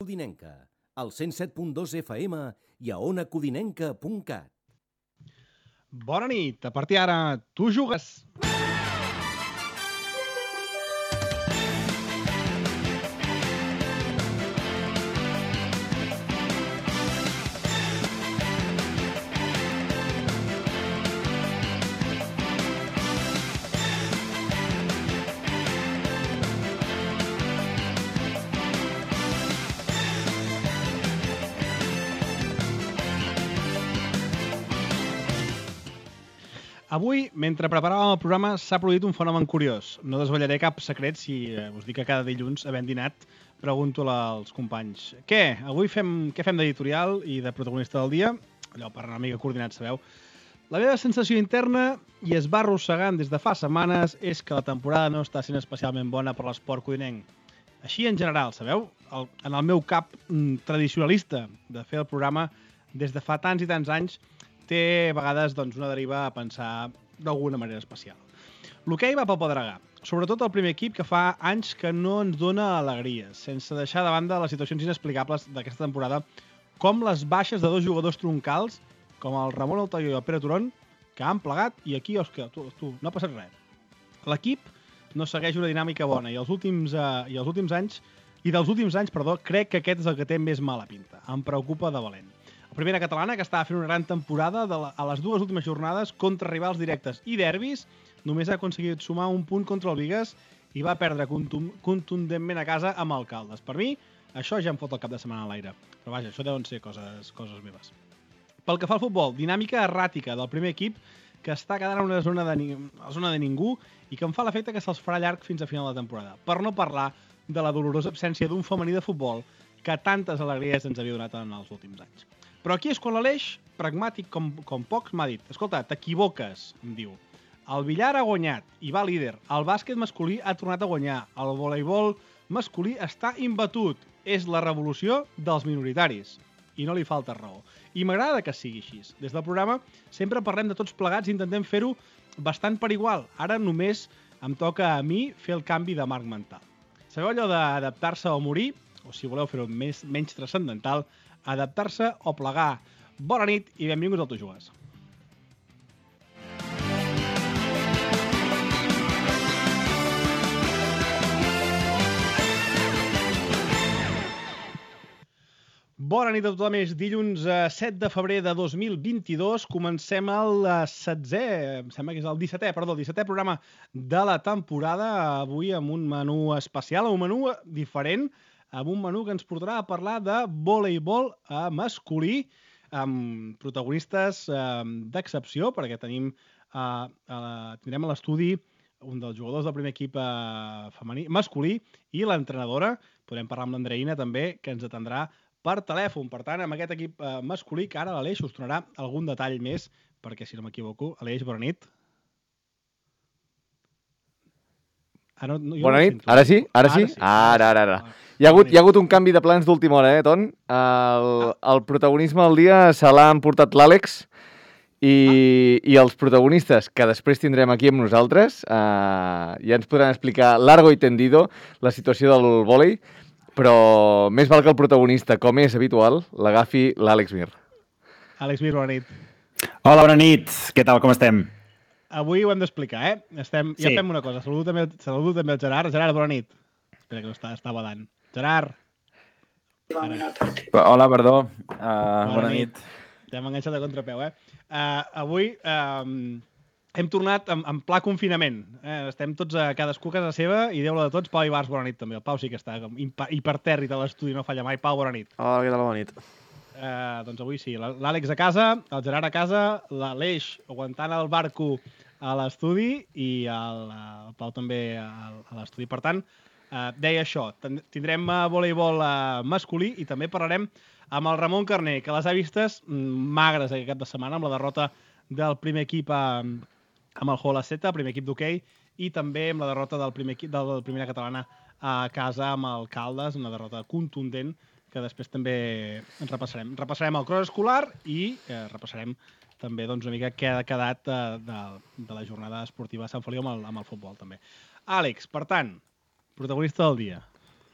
Codinenca, al 107.2 FM i a onacodinenca.cat. Bona nit, a partir d'ara, tu jugues. Avui, mentre preparàvem el programa, s'ha produït un fenomen curiós. No desvetllaré cap secret si us dic que cada dilluns, havent dinat, pregunto als companys què fem d'editorial i de protagonista del dia? Allò per una mica coordinat, sabeu? La meva sensació interna, i es va arrossegant des de fa setmanes, és que la temporada no està sent especialment bona per l'esport codinenc. Així en general, sabeu? En el meu cap tradicionalista de fer el programa des de fa tants i tants anys, té a vegades una deriva a pensar d'alguna manera especial. L'hoquei va pel pedregar, sobretot el primer equip que fa anys que no ens dona alegries, sense deixar de banda les situacions inexplicables d'aquesta temporada, com les baixes de dos jugadors troncals, com el Ramon Altair i el Pere Turon, que han plegat i aquí, Òscar, tu, no ha passat res. L'equip no segueix una dinàmica bona i dels últims anys, crec que aquest és el que té més mala pinta. Em preocupa de valent. La primera catalana, que estava fent una gran temporada, a les dues últimes jornades, contra rivals directes i derbis, només ha aconseguit sumar un punt contra el Bigues i va perdre contundentment a casa amb Alcaldes. Per mi, això ja em fot el cap de setmana a l'aire. Però vaja, això deuen ser coses meves. Pel que fa al futbol, dinàmica erràtica del primer equip, que està quedant en una zona de ningú i que em fa l'efecte que se'ls farà llarg fins a final de temporada. Per no parlar de la dolorosa absència d'un femení de futbol que tantes alegries ens havia donat en els últims anys. Però aquí és quan l'Aleix, pragmàtic com pocs, m'ha dit: escolta, t'equivoques, em diu. El billar ha guanyat i va líder. El bàsquet masculí ha tornat a guanyar. El voleibol masculí està imbatut. És la revolució dels minoritaris. I no li falta raó. I m'agrada que sigui així. Des del programa sempre parlem de tots plegats i intentem fer-ho bastant per igual. Ara només em toca a mi fer el canvi de marc mental. Sabeu allò d'adaptar-se o morir? O si voleu fer-ho menys transcendental, adaptar-se o plegar. Bona nit i benvinguts al Tu Jugues. Bona nit a tothom, és dilluns 7 de febrer de 2022. Comencem el 17è programa de la temporada, avui amb un menú especial, un menú diferent, amb un menú que ens portarà a parlar de voleibol masculí, amb protagonistes d'excepció, perquè tindrem a l'estudi un dels jugadors del primer equip masculí i l'entrenadora. Podrem parlar amb l'Andreïna també, que ens atendrà per telèfon. Per tant, amb aquest equip masculí, que ara l'Aleix us donarà algun detall més, perquè si no m'equivoco, Aleix, bona nit. Bona nit, ara sí? Ara. Hi ha hagut un canvi de plans d'última hora, Ton? El protagonisme del dia se l'ha emportat l'Àlex i els protagonistes que després tindrem aquí amb nosaltres ja ens podran explicar largo i tendido la situació del vòlei, però més val que el protagonista, com és habitual, l'agafi l'Àlex Mir. Àlex Mir, bona nit. Hola, bona nit. Què tal, com estem? Avui ho hem d'explicar, Ja fem una cosa. Saludo també el Gerard. Gerard, bona nit. Espera, que no està badant. Gerard. Hola, perdó. Bona nit. Ja m'he enganxat de contrapeu, Avui hem tornat en pla confinament. Estem tots a cadascú a casa seva i Déu-la de tots, Pau Ibars, bona nit també. El Pau sí que està hipertèrrit a l'estudi, no falla mai. Pau, bona nit. Hola, què tal? Bona nit. Doncs avui sí, l'Àlex a casa, el Gerard a casa, l'Aleix aguantant el barco a l'estudi i el Pau també a l'estudi. Per tant, deia això, tindrem voleibol masculí i també parlarem amb el Ramon Carner, que les ha vistes magres aquest cap de setmana amb la derrota del primer equip amb el Hola Zeta, primer equip d'hoquei, i també amb la derrota del primer equip de la primera catalana a casa amb el Caldes, una derrota contundent que després també ens repassarem. Repassarem el cros escolar i repassarem també una mica què ha quedat de la jornada esportiva de Sant Feliu amb el futbol també. Àlex, per tant, protagonista del dia.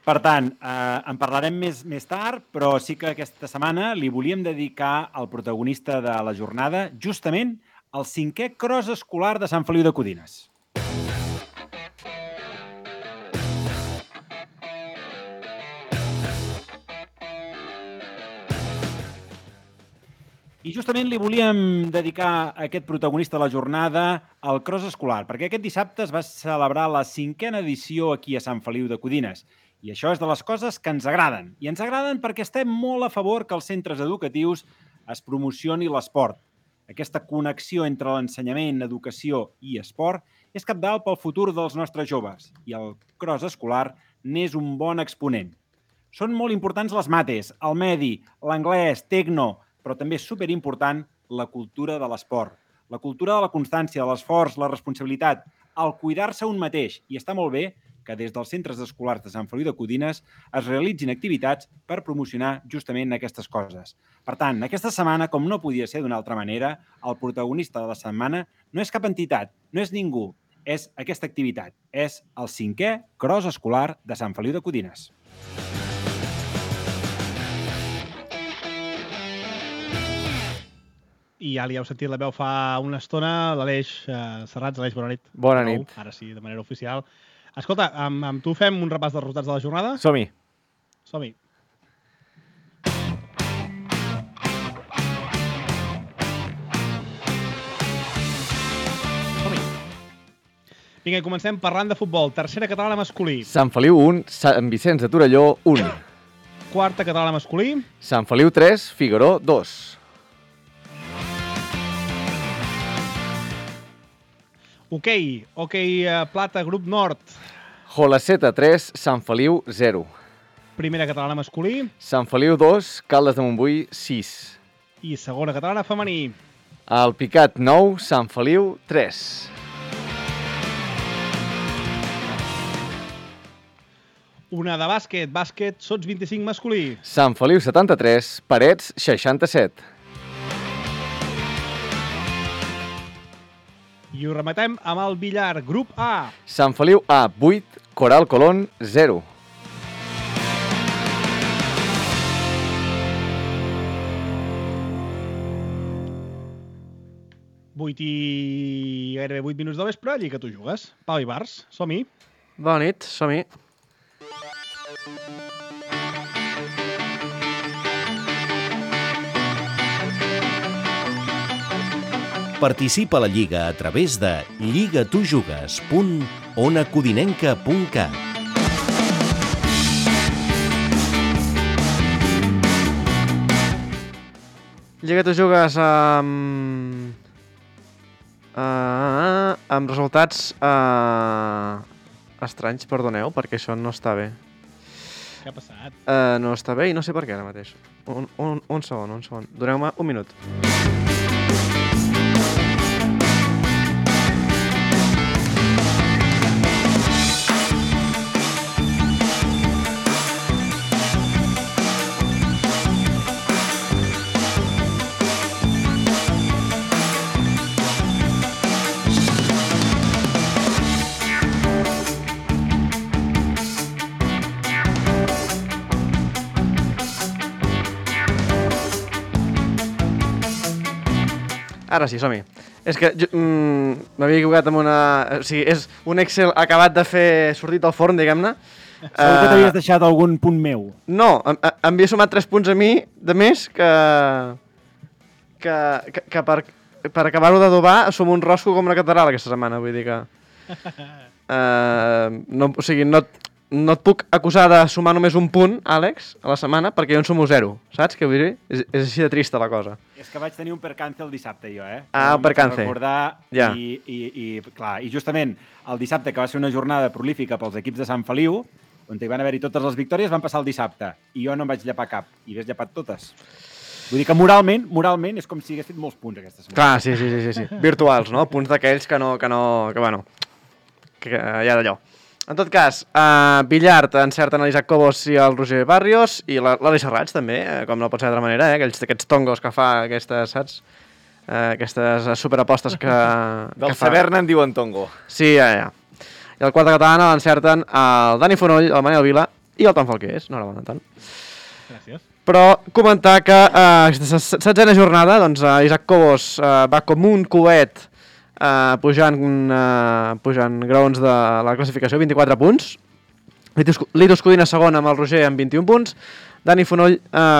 Per tant, en parlarem més tard, però sí que aquesta setmana li volíem dedicar al protagonista de la jornada justament el 5è Cross escolar de Sant Feliu de Codines. I justament li volíem dedicar a aquest protagonista de la jornada al Cross escolar, perquè aquest dissabte es va celebrar la 5a edició aquí a Sant Feliu de Codines. I això és de les coses que ens agraden. I ens agraden perquè estem molt a favor que als centres educatius es promocioni l'esport. Aquesta connexió entre l'ensenyament, educació i esport és cabdal pel futur dels nostres joves i el Cross escolar n'és un bon exponent. Són molt importants les mates, el medi, l'anglès, tecno, però també és superimportant la cultura de l'esport, la cultura de la constància, de l'esforç, la responsabilitat, el cuidar-se un mateix. I està molt bé que des dels centres escolars de Sant Feliu de Codines es realitzin activitats per promocionar justament aquestes coses. Per tant, aquesta setmana, com no podia ser d'una altra manera, el protagonista de la setmana no és cap entitat, no és ningú, és aquesta activitat. És el 5è Cross escolar de Sant Feliu de Codines. I ja li heu sentit la veu fa una estona, l'Aleix Serrats. Aleix, bona nit. Bona nit. Ara sí, de manera oficial. Escolta, amb tu fem un repàs dels resultats de la jornada? Som-hi. Som-hi. Som-hi. Vinga, comencem parlant de futbol. Tercera catalana masculí. Sant Feliu 1, Sant Vicenç de Torelló 1. Quarta catalana masculí. Sant Feliu 3, Figaró 2. Hoquei plata, grup nord. Jolaceta 3, Sant Feliu 0. Primera catalana masculí. Sant Feliu 2, Caldes de Montbui 6. I segona catalana femení. El Picat 9, Sant Feliu 3. Una de bàsquet, Sots 25 masculí. Sant Feliu 73, Parets 67. I ho rematem amb el billar, grup A. Sant Feliu A, 8, Coral Colón 0. Gairebé 8 minuts de vespre, allí que tu jugues. Pau Ibars, som-hi. Bona nit, som-hi. Participa a la Lliga a través de lligatujugues.onacodinenca.cat. Lliga, tu jugues amb resultats estranys, perdoneu, perquè això no està bé. Què ha passat? No està bé i no sé per què ara mateix. Un segon. Doneu-me un minut. Ara sí, som-hi. És que m'havia equivocat amb una... O sigui, és un Excel acabat de fer sortit del forn, diguem-ne. Segur que t'havies deixat algun punt meu. No, havia sumat 3 punts a mi de més que per acabar-ho d'adobar som un rosco com una catedral aquesta setmana, vull dir que... O sigui, no et puc acusar de sumar només un punt, Àlex, a la setmana, perquè jo en sumo 0, saps què vull dir? És així de trista la cosa. És que vaig tenir un percance el dissabte, jo, Ah, un percance. Recordar, ja. I justament el dissabte, que va ser una jornada prolífica pels equips de Sant Feliu, on hi van haver-hi totes les victòries, van passar el dissabte, i jo no em vaig llepar cap, i ves llepat totes. Vull dir que moralment és com si hagués fet molts punts aquesta setmana. Clar, sí. Virtuals, no? Punts d'aquells que hi ha d'allò. En tot cas, Billard encerten l'Isaac Cobos i el Roger Barrios, i l'Aleix Serrats també, com no pot ser d'altra manera, aquests tongos que fa aquestes, saps? Aquestes superapostes que Del saber en diuen tongo. Sí, ja. I el quarta catalana l'encerten el Dani Fonoll, el Manel Vila i el tan fort que és, no era tant. Gràcies. Però comentar que aquesta 16a jornada, doncs, Isaac Cobos va com un coet pujant graons de la classificació, 24 punts. Litos Codina segon amb el Roger amb 21 punts. Dani Fonoll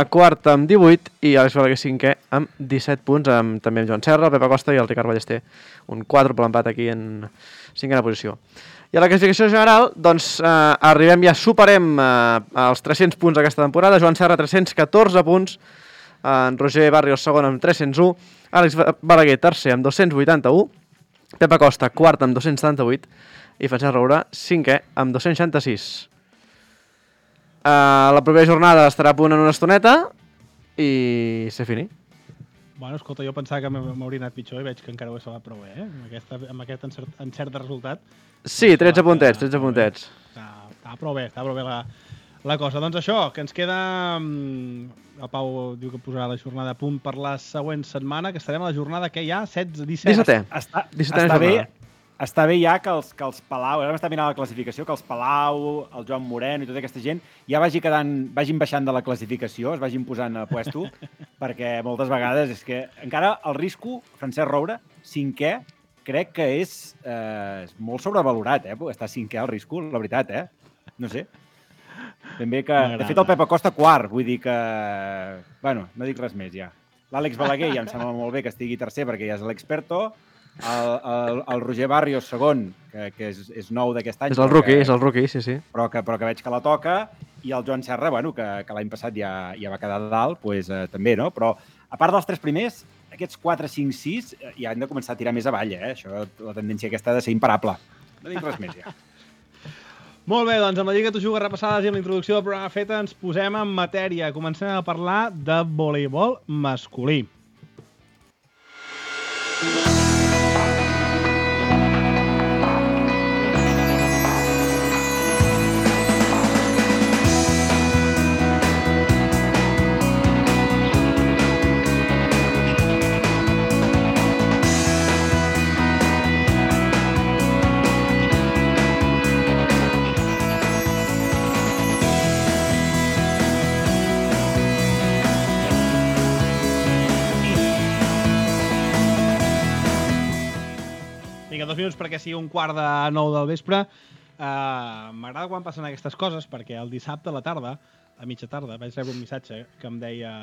quart amb 18 i Àlex Balaguer cinquè amb 17 punts, també amb Joan Serra, el Pepa Costa i el Ricard Ballester. Un quàdruple empat aquí en cinquena posició. I a la classificació general, doncs, arribem ja, superem els 300 punts aquesta temporada. Joan Serra, 314 punts. En Roger Barrios, segon amb 301. Àlex Balaguer, tercer amb 281. Pepa Costa, quart amb 278. I Francesc Roura, cinquè amb 266. La propera jornada estarà a punt en una estoneta i se fini. Bueno, escolta, jo pensava que m'hauria anat pitjor i veig que encara ho he salvat prou bé, amb aquest encert de resultat. Sí, 13 puntets, 13 puntets. Està prou bé la cosa. Doncs això, que ens queda... El Pau diu que posarà la jornada a punt per la següent setmana, que estarem a la jornada que hi ha, 17. Està bé ja que els Palau, ara m'està mirant la classificació, que els Palau, el Joan Moreno i tota aquesta gent ja vagin baixant de la classificació, es vagin posant a puesto, perquè moltes vegades és que encara el risco, Francesc Roura, cinquè, crec que és molt sobrevalorat, està cinquè al risco, la veritat, no sé. Ben bé que... De fet, el Pepa Costa quart, vull dir que... Bueno, no dic res més ja. L'Àlex Balaguer ja em sembla molt bé que estigui tercer perquè ja és l'experto. El Roger Barrios segon, que és nou d'aquest any. És el rookie, sí. Però que veig que la toca. I el Joan Serra, bueno, que l'any passat ja va quedar de dalt, doncs també, no? Però a part dels tres primers, aquests 4, 5, 6 ja han de començar a tirar més avall, Això, la tendència aquesta ha de ser imparable. No dic res més ja. Molt bé, doncs amb la Lliga Tu Jugues repassades i amb la introducció del programa feta ens posem en matèria. Comencem a parlar de voleibol masculí. Vinga, 2 minuts perquè sigui 8:45 del vespre. M'agrada quan passen aquestes coses perquè el dissabte a la tarda, a mitja tarda, vaig rebre un missatge que em deia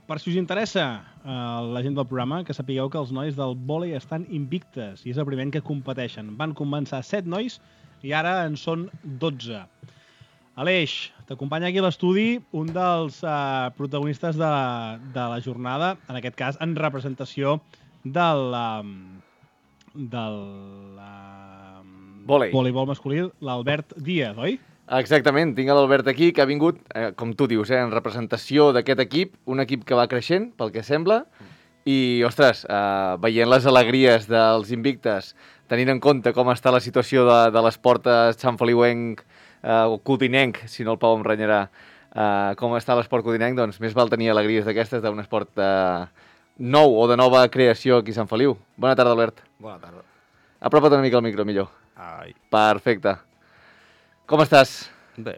per si us interessa la gent del programa, que sapigueu que els nois del vòlei estan invictes i és el primer any que competeixen. Van començar 7 nois i ara en són 12. Aleix, t'acompanya aquí a l'estudi un dels protagonistes de la jornada, en aquest cas en representació del voleibol masculí, l'Albert Díaz, oi? Exactament, tinc l'Albert aquí, que ha vingut, com tu dius, en representació d'aquest equip, un equip que va creixent, pel que sembla, i, ostres, veient les alegries dels invictes, tenint en compte com està la situació de l'esport santfeliuenc o codinenc, si no el Pau em renyarà, com està l'esport codinenc, doncs més val tenir alegries d'aquestes d'un esport nou o de nova creació aquí a Sant Feliu. Bona tarda, Albert. Bona tarda. Apropa't una mica al micro, millor. Ai. Perfecte. Com estàs? Bé.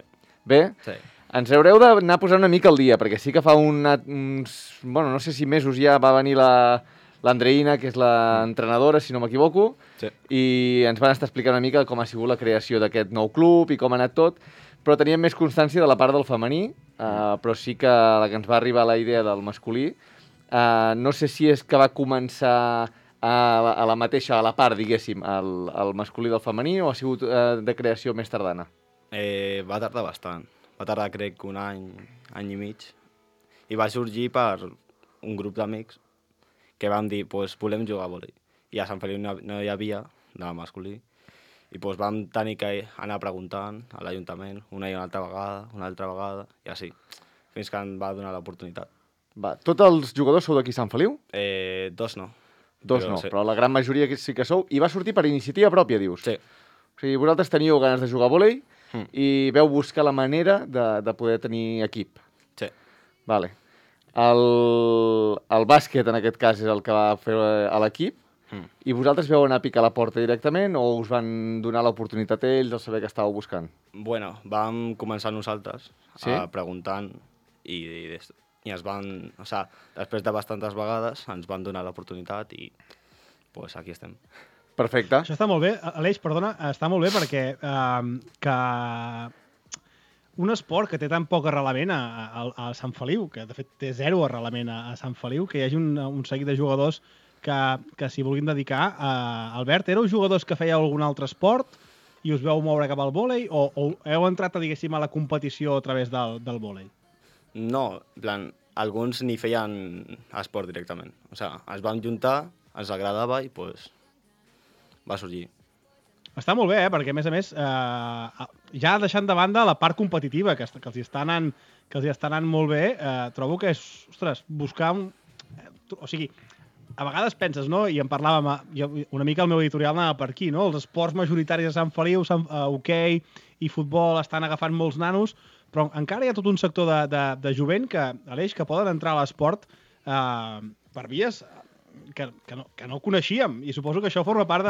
Bé? Sí. Ens haureu d'anar posant una mica al dia, perquè sí que fa uns... Bueno, no sé si mesos ja va venir l'Andreina, que és l'entrenadora, si no m'equivoco, sí. I ens van estar explicant una mica com ha sigut la creació d'aquest nou club i com ha anat tot, però teníem més constància de la part del femení, però sí que la que ens va arribar la idea del masculí, no sé si és que va començar a la part, diguéssim, el masculí del femení o ha sigut de creació més tardana? Va tardar bastant. Va tardar, crec, un any i mig. I va sorgir per un grup d'amics que vam dir, doncs volem jugar a vòlei. I a Sant Feliu no hi havia de masculí. I doncs vam tenir que anar preguntant a l'Ajuntament una i una altra vegada, i així, fins que em va donar l'oportunitat. Tots els jugadors sou d'aquí Sant Feliu? Dos no. Però la gran majoria sí que sou. I va sortir per iniciativa pròpia, dius? Sí. O sigui, vosaltres teníeu ganes de jugar a vòlei i veu buscar la manera de poder tenir equip. Sí. Vale. El bàsquet, en aquest cas, és el que va fer a l'equip. I vosaltres veu anar a picar la porta directament o us van donar l'oportunitat a ells al saber que estàveu buscant? Bueno, vam començar nosaltres Sí? preguntant i es van... O sigui, després de bastantes vegades ens van donar l'oportunitat i pues aquí estem. Perfecte. Això està molt bé. Aleix, perdona, està molt bé perquè que un esport que té tan poc arrelament a Sant Feliu, que de fet té zero arrelament a Sant Feliu, que hi hagi un seguit de jugadors que s'hi vulguin dedicar. Albert, éreu jugadors que fèieu algun altre esport i us veu moure cap al vòlei o heu entrat, diguéssim, a la competició a través del vòlei? No, en plan, alguns ni feien esport directament. O sigui, es van juntar, ens agradava i pues, va sorgir. Està molt bé, perquè, a més, ja deixant de banda la part competitiva, que els hi està anant molt bé, trobo que és, ostres, buscar o sigui, a vegades penses, no?, i en parlàvem, una mica el meu editorial anava per aquí, no?, els esports majoritaris de Sant Feliu, hoquei i futbol estan agafant molts nanos, però encara hi ha tot un sector de jovent Aleix, que poden entrar a l'esport per vies que no coneixíem, i suposo que això forma part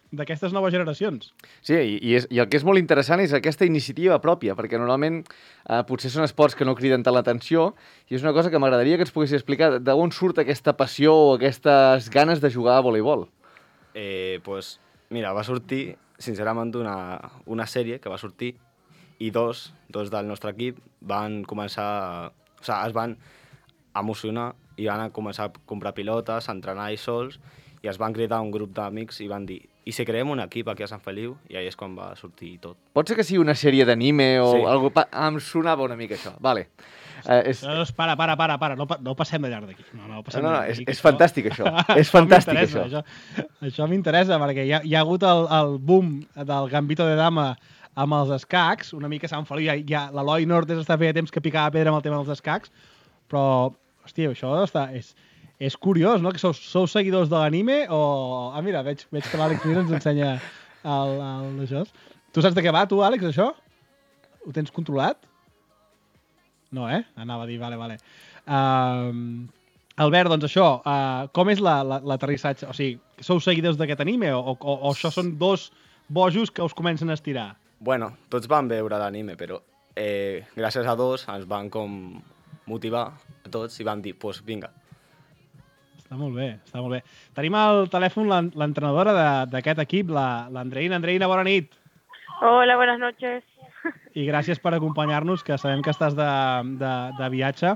d'aquestes noves generacions. Sí, i el que és molt interessant és aquesta iniciativa pròpia, perquè normalment potser són esports que no criden tant l'atenció, i és una cosa que m'agradaria que ens poguessis explicar d'on surt aquesta passió o aquestes ganes de jugar a voleibol. Pues, mira, va sortir, sincerament, una sèrie que va sortir i dos del nostre equip van començar... O sigui, es van emocionar i van començar a comprar pilotes, a entrenar ells sols, i es van cridar un grup d'amics i van dir i si creem un equip aquí a Sant Feliu? I ahí és quan va sortir tot. Pot ser que sigui una sèrie d'anime o Sí. algo... Em sonava una mica això. Vale. Para, no passem de llarg d'aquí. No, és fantàstic això. És fantàstic això. Això m'interessa, perquè hi ha hagut el boom del Gambito de Dama amb els escacs, una mica a Sant Feliu, l'Eloi Nortes està feia temps que picava pedra amb el tema dels escacs, però, hòstia, això és curiós, no?, que sou seguidors de l'anime o... Ah, mira, veig que l'Àlex Mir ens ensenya això. Tu saps de què va, tu, Àlex, això? Ho tens controlat? No, anava a dir, vale. Albert, doncs això, com és l'aterrissatge? O sigui, sou seguidors d'aquest anime o això són dos bojos que us comencen a estirar? Bueno, tots van veure l'anime, però gràcies a dos ens van com motivar a tots i van dir, pues vinga. Està molt bé. Tenim al telèfon l'entrenadora d'aquest equip, l'Andreina. Andreina, bona nit. Hola, buenas noches. I gràcies per acompanyar-nos, que sabem que estàs de viatge.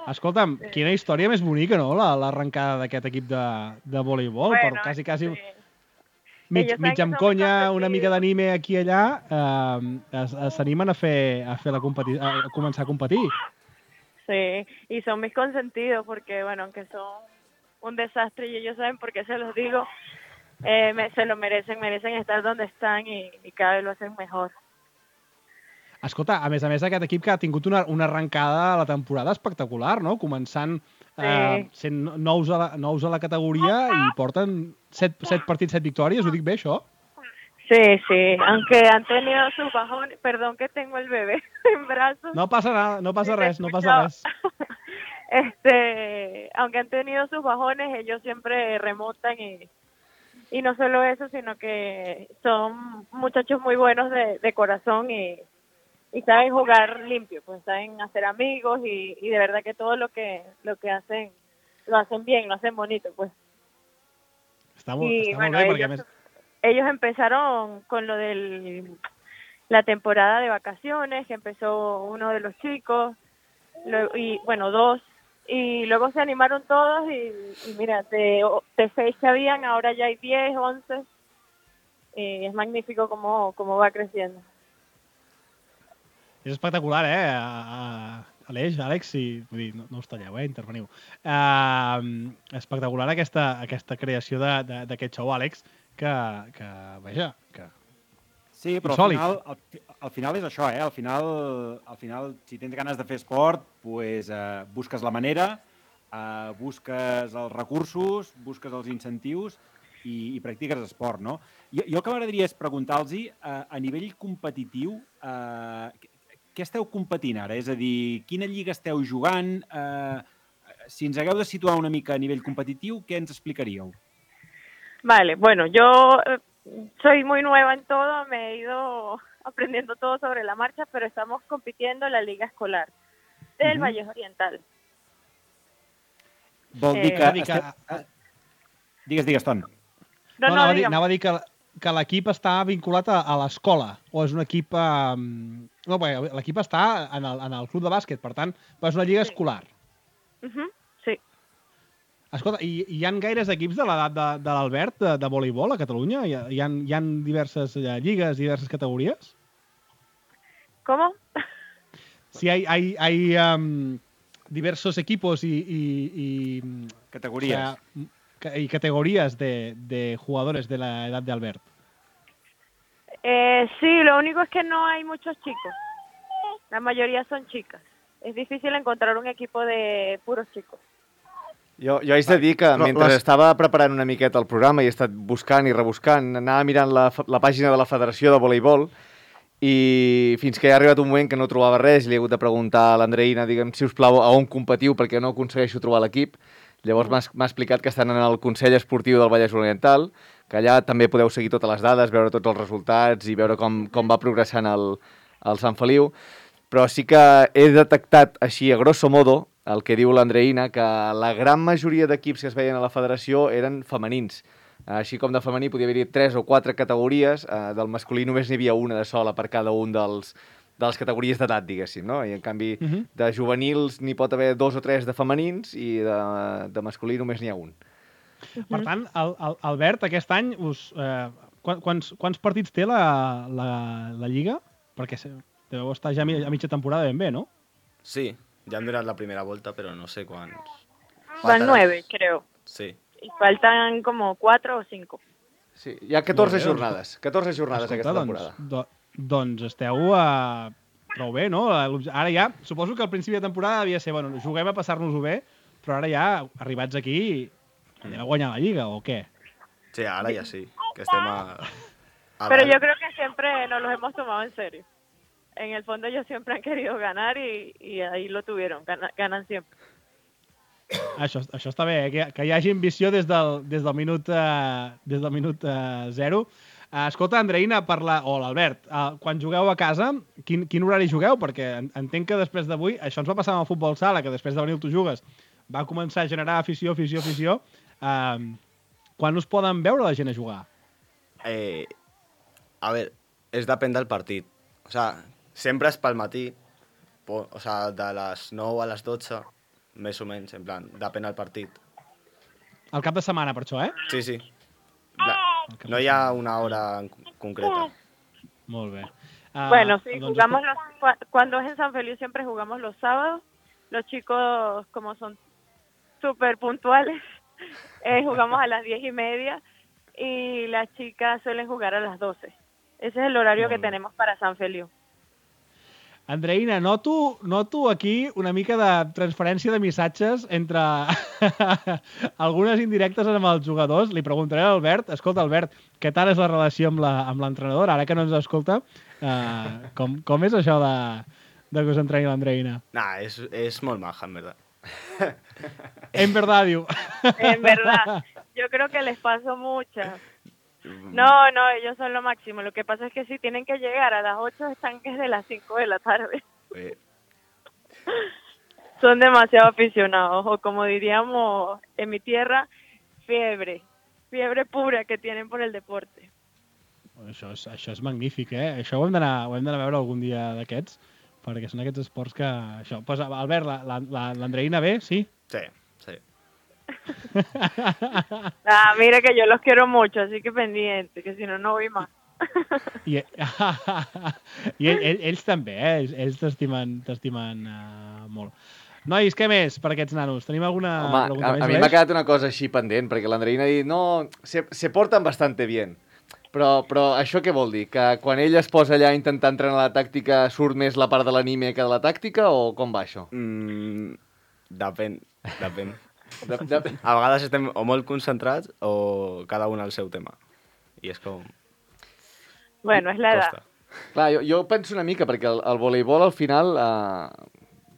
Escolta'm, quina història més bonica, no?, l'arrencada d'aquest equip de voleibol, Bueno, però quasi sí. mig Ellos saben que amb somos conya, competitivos. una mica d'anime aquí i allà, s'animen a començar a competir. Sí, y son mis consentidos porque, bueno, aunque son un desastre y ellos saben por qué se los digo, se lo merecen estar donde están y cada vez lo hacen mejor. Escolta, a més, aquest equip que ha tingut una arrencada a la temporada espectacular, no?, començant sent nous a la categoria i porten 7 partits, 7 victòries, ho dic bé, això? Sí, aunque han tenido sus bajones, perdón que tengo el bebé en brazos. No passa nada, no passa res. Aunque han tenido sus bajones, ellos siempre remontan y no solo eso, sino que son muchachos muy buenos de corazón y saben jugar limpio, pues saben hacer amigos y de verdad que todo lo que hacen, lo hacen bien, lo hacen bonito, pues. Està molt bé, perquè a més... Ellos empezaron con lo de la temporada de vacaciones, que empezó uno de los chicos, dos, y luego se animaron todos y mira, de 6 que habían, ahora ya hay 10, 11, y es magnífico cómo va creciendo. És espectacular, Aleix, Àlex, no us talleu, interveniu. Espectacular aquesta creació d'aquest show, Àlex, que vaja, que... Sí, però al final és això, Al final, si tens ganes de fer esport, pues, busques la manera, busques els recursos, busques els incentius i practiques esport, no? Jo el que m'agradaria és preguntar-los, a nivell competitiu, què esteu competint ara? És a dir, quina lliga esteu jugant? Si ens hagueu de situar una mica a nivell competitiu, què ens explicaríeu? Vale, bueno, yo soy muy nueva en todo, me he ido aprendiendo todo sobre la marcha, pero estamos compitiendo en la liga escolar del Valle Oriental. Vol dir que... Digues, Ton. No, digue'm. anava a dir que l'equip està vinculat a l'escola, o és un equip... No, bé, l'equip està en el club de bàsquet, per tant, és una lliga escolar. Sí. Escolta, hi ha gaires equips de l'edat de l'Albert de voleibol a Catalunya? Hi ha diverses lligues, diverses categories? ¿Cómo? Sí, hay diversos equipos y categorías. Y categorías de jugadores de la edad de Albert. Sí, lo único es que no hay muchos chicos. La mayoría son chicas. Es difícil encontrar un equipo de puros chicos. Jo haig de dir que mentre estava preparant una miqueta el programa i he estat buscant i rebuscant, anava mirant la pàgina de la Federació de Voleibol i fins que ha arribat un moment que no trobava res, li he hagut de preguntar a l'Andreïna, digue'm, si us plau, a on competiu perquè no aconsegueixo trobar l'equip. Llavors m'ha explicat que estan en el Consell Esportiu del Vallès Oriental, que allà també podeu seguir totes les dades, veure tots els resultats i veure com va progressant el Sant Feliu. Però sí que he detectat així, a grosso modo, el que diu l'Andreïna, que la gran majoria d'equips que es veien a la federació eren femenins. Així com de femení podia haver-hi 3 o 4 categories, del masculí només n'hi havia una de sola per cada un de les categories d'edat, diguéssim, no? I en canvi de juvenils n'hi pot haver 2 o 3 de femenins i de masculí només n'hi ha un. Per tant, Albert, aquest any, quants partits té la Lliga? Perquè deveu estar ja a mitja temporada ben bé, no? Sí, ya han durado la primera vuelta, pero no sé cuántos. Van 9, creo. Sí. Y faltan como 4 o 5. Sí, hi ha 14 jornades. 14 jornades aquesta temporada. Doncs esteu prou bé, no? Ara ja, suposo que al principi de temporada devia ser, bueno, juguem a passar-nos-ho bé, però ara ja, arribats aquí, anem a guanyar la Lliga, o què? Sí, ahora ya sí, que estem Pero yo creo que siempre nos los hemos tomado en serio. En el fondo ellos siempre han querido ganar y ahí lo tuvieron, ganan siempre. Això està bé, que hi hagi ambició des del minut 0. Escolta, Andreïna, o l'Albert, quan jugueu a casa, quin horari jugueu? Perquè entenc que després d'avui, això ens va passar amb el futbol sala, que després de venir tu jugues, va començar a generar afició. Quan us poden veure la gent a jugar? A ver, es depèn del partit. O sea, sempre és pel matí, o sea, de les 9 a les 12, més o menys, en plan, depèn del partit. El cap de setmana, per això, eh? Sí. No hi ha una hora concreta. Molt bé. Bueno, sí, cuando es en San Feliu siempre jugamos los sábados. Los chicos, como son súper puntuales, jugamos a las 10:30 y las chicas suelen jugar a las 12. Ese es el horario que tenemos para San Feliu. Andreïna, noto aquí una mica de transferència de missatges entre algunes indirectes amb els jugadors. Li preguntaré a l'Albert, escolta, Albert, què tal és la relació amb l'entrenador? Ara que no ens escolta, com és això de que us entreni l'Andreïna? Nah, és molt maja, en verdad. En verdad, diu. En verdad, yo creo que les paso muchas. No, ellos son lo máximo. Lo que pasa es que si tienen que llegar a las 8, están desde las 5 de la tarde. Son demasiado aficionados, o como diríamos en mi tierra, fiebre pura que tienen por el deporte. Això és magnífic, eh? Això ho hem d'anar a veure algun dia d'aquests, perquè són aquests esports que... Pues, Albert, l'Andreïna bé, sí? Sí. Mira que yo los quiero mucho, así que pendiente, que si no, no voy más. I ells també, ells t'estimen molt. Nois, què més per aquests nanos? Tenim alguna pregunta més? A mi m'ha quedat una cosa així pendent, perquè l'Andreïna ha dit, no, se porten bastante bien. Però això què vol dir? Que quan ell es posa allà a intentar entrenar la tàctica surt més la part de l'anímia que de la tàctica, o com va això? Depèn. A vegades estem o molt concentrats o cada un al seu tema. I és com... Bueno, és l'edat. Clar, jo penso una mica, perquè el voleibol al final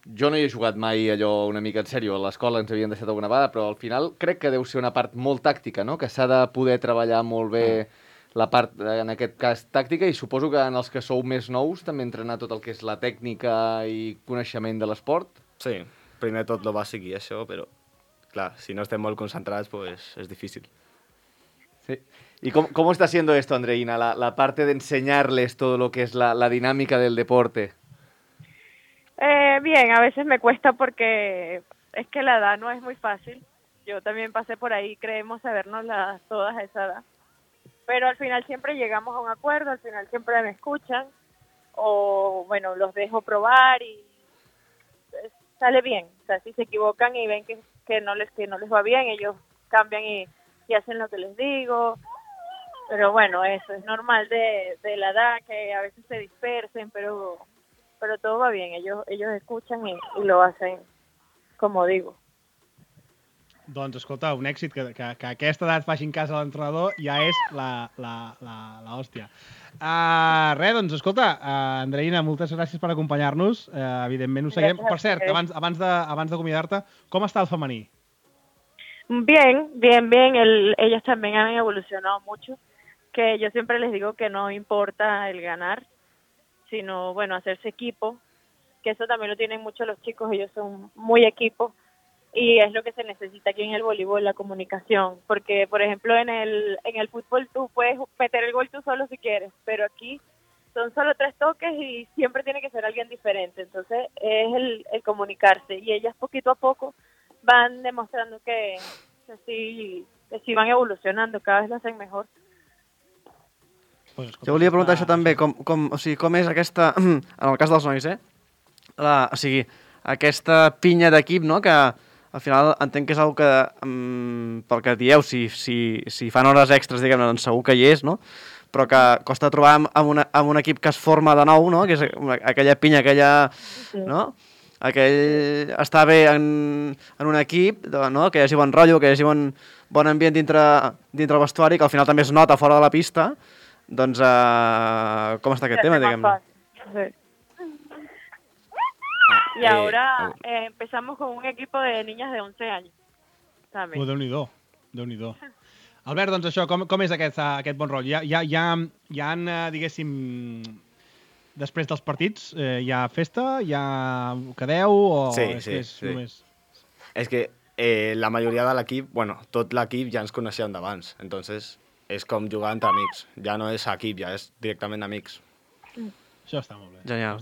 jo no hi he jugat mai allò una mica en sèrio, a l'escola ens havien deixat alguna vegada, però al final crec que deu ser una part molt tàctica, no? Que s'ha de poder treballar molt bé la part, en aquest cas, tàctica, i suposo que en els que sou més nous també entrenar tot el que és la tècnica i coneixement de l'esport. Sí, primer tot lo bàsic i això, però clar, si no estem molt concentrats, pues es difícil. Sí. ¿Y cómo está siendo esto, Andreina, la parte de enseñarles todo lo que es la dinámica del deporte? Bien, a veces me cuesta porque es que la edad no es muy fácil. Yo también pasé por ahí, creemos sabernos todas a esa edad. Pero al final siempre llegamos a un acuerdo, al final siempre me escuchan o, bueno, los dejo probar y sale bien. O sea, si se equivocan y ven que no les va bien, ellos cambian y hacen lo que les digo. Pero bueno, eso es normal de la edad, que a veces se dispersen, pero todo va bien. Ellos escuchan y lo hacen como digo. Doncs, escolta, un èxit que a aquesta edat facin cas a l'entrenador ja és l'hòstia. Res, doncs, escolta, Andreina, moltes gràcies per acompanyar-nos. Evidentment ho seguirem. Per cert, abans d'acomiadar-te, com està el femení? Bien. Ellas también han evolucionado mucho, que yo siempre les digo que no importa el ganar, sino, bueno, hacerse equipo, que eso también lo tienen mucho los chicos, ellos son muy equipo, y es lo que se necesita aquí en el voleibol, la comunicación, porque, por ejemplo, en el fútbol tú puedes meter el gol tú solo si quieres, pero aquí son solo 3 toques y siempre tiene que ser alguien diferente, entonces es el comunicarse, y ellas poquito a poco van demostrando que sí van evolucionando, cada vez lo hacen mejor. Jo volia preguntar això també, com és aquesta, en el cas dels nois, o sigui, aquesta pinya d'equip, no?, que al final entenc que és una que, pel que dieu, si fan hores extres, diguem-ne, doncs segur que hi és, no?, però que costa trobar amb un equip que es forma de nou, no?, que és aquella pinya, no?, estar bé en un equip, no?, que hi hagi bon rotllo, que hi hagi bon ambient dintre el vestuari, que al final també es nota fora de la pista. Doncs, com està aquest tema, diguem-ne? Sí. Y ahora empezamos con un equipo de niñas de 11 años. També. Déu-n'hi-do. Albert, doncs això, com és aquest bon rotllo? Hi ha, diguéssim, després dels partits, hi ha festa, hi ha quedeu o sí. només... És que la majoria de l'equip, bueno, tot l'equip ja ens coneixíem d'abans, entonces és com jugar entre amics. Ja no és equip, ja és directament amics. Això està molt bé. Genial.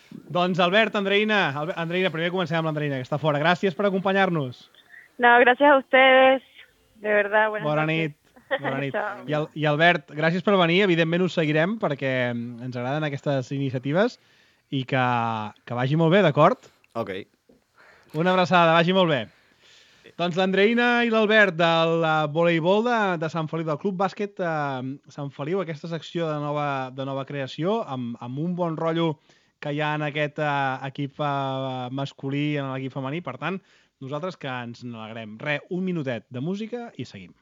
Doncs Albert, Andreina, primer comencem amb l'Andreina, que està fora. Gràcies per acompanyar-nos. No, gracias a ustedes. De verdad, Bona nit. I Albert, gràcies per venir. Evidentment us seguirem perquè ens agraden aquestes iniciatives i que vagi molt bé, d'acord? Ok. Una abraçada, vagi molt bé. Doncs l'Andreina i l'Albert del voleibol de Sant Feliu, del Club Bàsquet Sant Feliu, aquesta secció de nova creació, amb un bon rotllo que hi ha en aquest equip masculí i en l'equip femení. Per tant, nosaltres que ens n'alegrem. Un minutet de música i seguim.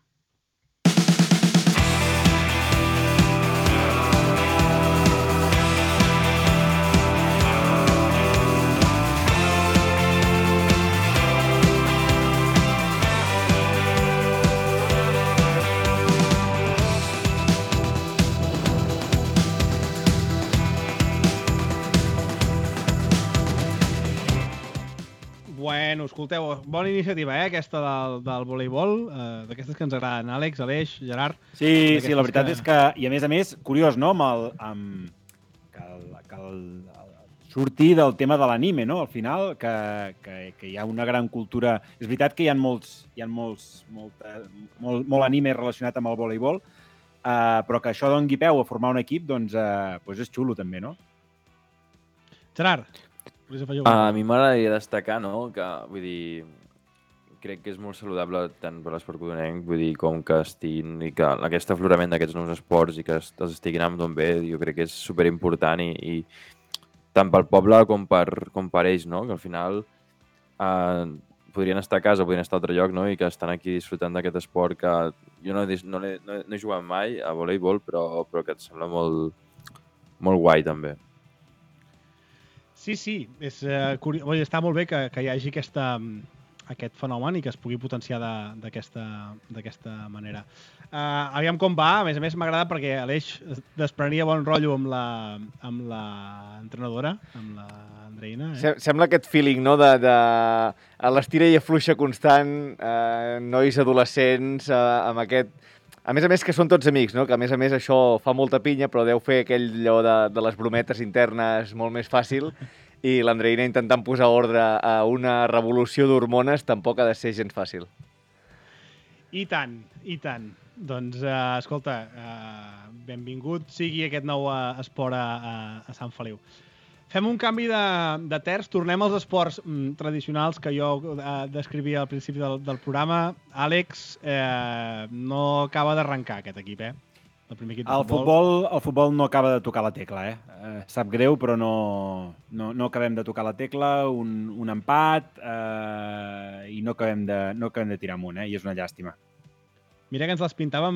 Bueno, escolteu, bona iniciativa, aquesta del voleibol, d'aquestes que ens agraden. Àlex, Aleix, Gerard... Sí, la veritat és que, i a més, curiós, no?, que sortir del tema de l'anime, no?, al final, que hi ha una gran cultura... És veritat que hi ha molt anime relacionat amb el voleibol, però que això doni peu a formar un equip, doncs és xulo també, no? Gerard, a mi m'agradaria destacar, no?, que, vull dir, crec que és molt saludable tant per l'esport codonenc, vull dir, com que estiguin, i que aquest aflorament d'aquests nous esports i que els estiguin anant d'on bé, jo crec que és superimportant i tant pel poble com per ells, no?, que al final podrien estar a casa, podrien estar a altre lloc, no?, i que estan aquí disfrutant d'aquest esport que jo no he jugat mai a voleibol, però que et sembla molt guai, també. Sí, és curiós. Està molt bé que hi hagi aquest fenomen i que es pugui potenciar d'aquesta manera. Aviam com va, a més m'agrada perquè Aleix desprenia bon rotllo amb l'entrenadora, amb l'Andreina. Sembla aquest feeling, no?, de l'estira i afluixa constant, nois adolescents, amb aquest... A més que són tots amics, no?, que a més això fa molta pinya, però deu fer aquell allò de les brometes internes molt més fàcil, i l'Andreina intentant posar ordre a una revolució d'hormones tampoc ha de ser gens fàcil. I tant. Doncs, escolta, benvingut sigui aquest nou esport a Sant Feliu. Fem un canvi de terç, tornem als esports tradicionals que jo descrivia al principi del programa. Àlex, no acaba d'arrencar aquest equip, El primer equip de futbol. El futbol no acaba de tocar la tecla, Sap greu, però no acabem de tocar la tecla, un empat, i no acabem de tirar amunt, i és una llàstima. Mira que ens les pintàvem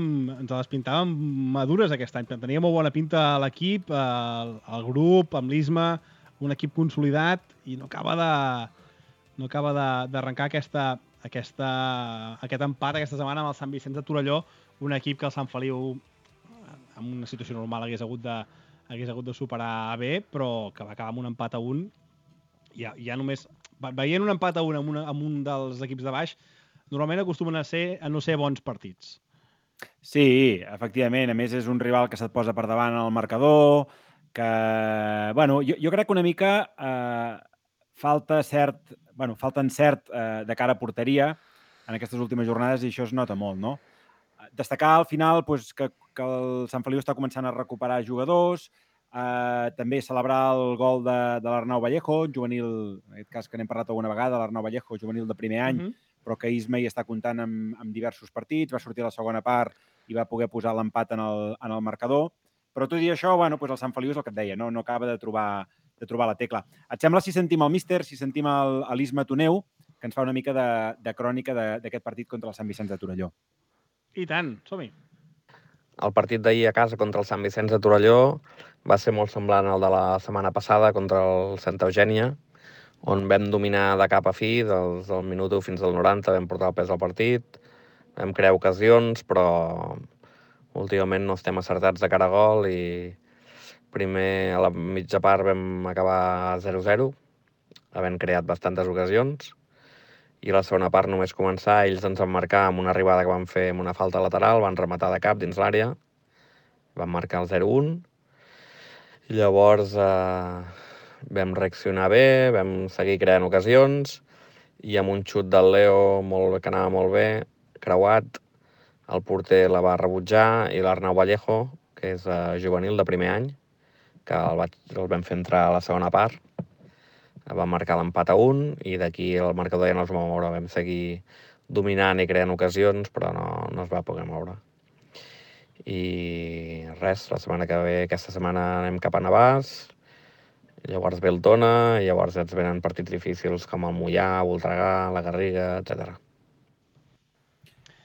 madures aquest any. Tenia molt bona pinta a l'equip, al grup, amb l'Isma, un equip consolidat, i no acaba d'arrencar aquest empat aquesta setmana amb el Sant Vicenç de Torelló, un equip que el Sant Feliu, en una situació normal, hagués hagut de superar bé, però que va acabar amb un empat a 1. Ja només... Veient un empat a 1 amb un dels equips de baix, normalment acostumen a no ser bons partits. Sí, efectivament. A més, és un rival que se't posa per davant al marcador, que... Bueno, jo crec que una mica falta encert de cara a porteria en aquestes últimes jornades, i això es nota molt, no? Destacar al final que el Sant Feliu està començant a recuperar jugadors, també celebrar el gol de l'Arnau Vallejo, juvenil, en aquest cas que n'hem parlat alguna vegada, l'Arnau Vallejo, juvenil de primer any, però que Isma hi està comptant amb diversos partits, va sortir a la segona part i va poder posar l'empat en el marcador. Però tot i això, el Sant Feliu és el que et deia, no acaba de trobar la tecla. Et sembla si sentim el míster, si sentim l'Isma Toneu, que ens fa una mica de crònica d'aquest partit contra el Sant Vicenç de Torelló? I tant, som-hi. El partit d'ahir a casa contra el Sant Vicenç de Torelló va ser molt semblant al de la setmana passada contra el Santa Eugènia, on vam dominar de cap a fi, del minut 1 fins al 90, vam portar el pes al partit, vam crear ocasions, però últimament no estem acertats de cara a gol i primer a la mitja part vam acabar 0-0, havent creat bastantes ocasions, i la segona part només començar, ells ens van marcar amb una arribada que van fer amb una falta lateral, van rematar de cap dins l'àrea, van marcar el 0-1, i llavors vam reaccionar bé, vam seguir creant ocasions, i amb un xut del Leo que anava molt bé, creuat, el porter la va rebutjar, i l'Arnau Vallejo, que és juvenil de primer any, que el vam fer entrar a la segona part, va marcar l'empat a 1, i d'aquí el marcador ja no es va moure. Vam seguir dominant i creant ocasions, però no es va poder moure. I res, aquesta setmana anem cap a Navàs, llavors ve el Tona, i llavors ens venen partits difícils com el Moià, Voltregà, la Garriga, etc.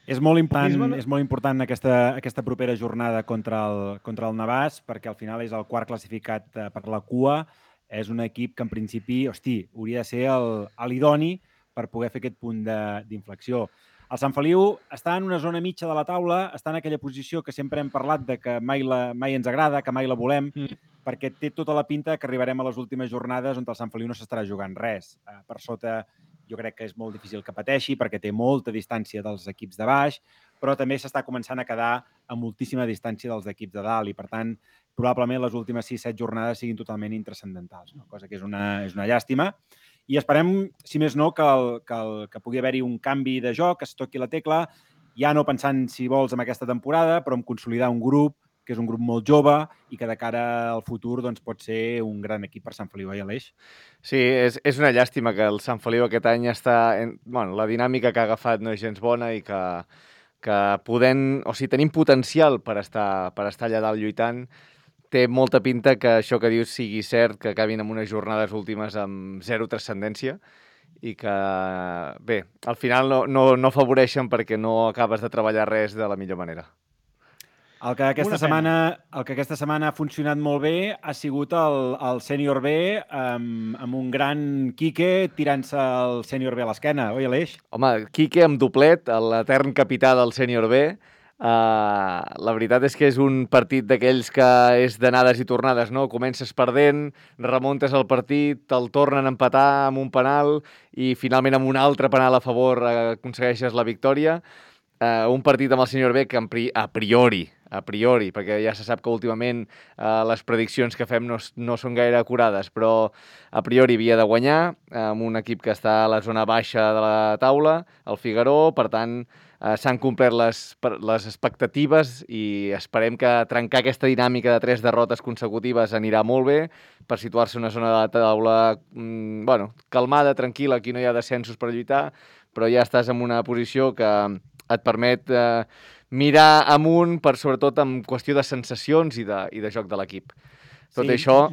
És molt important aquesta propera jornada contra el Navàs, perquè al final és el quart classificat per la cua. És un equip que en principi, hauria de ser l'idoni per poder fer aquest punt d'inflexió. El Sant Feliu està en una zona mitja de la taula, està en aquella posició que sempre hem parlat de que mai ens agrada, que mai la volem, perquè té tota la pinta que arribarem a les últimes jornades on el Sant Feliu no s'estarà jugant res. Per sota jo crec que és molt difícil que pateixi perquè té molta distància dels equips de baix, però també s'està començant a quedar a moltíssima distància dels equips de dalt i, per tant, probablement les últimes 6-7 jornades siguin totalment intranscendentals, cosa que és una llàstima. I esperem, si més no, que pugui haver-hi un canvi de joc, que es toqui la tecla, ja no pensant, si vols, en aquesta temporada, però en consolidar un grup, que és un grup molt jove i que de cara al futur pot ser un gran equip per Sant Feliu, Aleix? Sí, és una llàstima que el Sant Feliu aquest any està... la dinàmica que ha agafat no és gens bona i que tenim potencial per estar allà dalt lluitant. Té molta pinta que això que dius sigui cert, que acabin amb unes jornades últimes amb zero transcendència i que, bé, al final no afavoreixen perquè no acabes de treballar res de la millor manera. El que aquesta setmana ha funcionat molt bé ha sigut el sènior B amb un gran Quique tirant-se el sènior B a l'esquena, oi, Aleix? Home, Quique amb doblet, l'etern capità del sènior B. La veritat és que és un partit d'aquells que és d'anades i tornades, no? Comences perdent, remuntes el partit, te'l tornen a empatar amb un penal i finalment amb un altre penal a favor aconsegueixes la victòria. Un partit amb el sènior B que a priori, perquè ja se sap que últimament les prediccions que fem no són gaire acurades, però a priori havia de guanyar amb un equip que està a la zona baixa de la taula, el Figaró, per tant s'han complert les expectatives i esperem que trencar aquesta dinàmica de 3 derrotes consecutives anirà molt bé per situar-se en una zona de la taula calmada, tranquil·la, aquí no hi ha descensos per lluitar, però ja estàs en una posició que et permet mirar amunt, sobretot en qüestió de sensacions i de joc de l'equip. Tot això...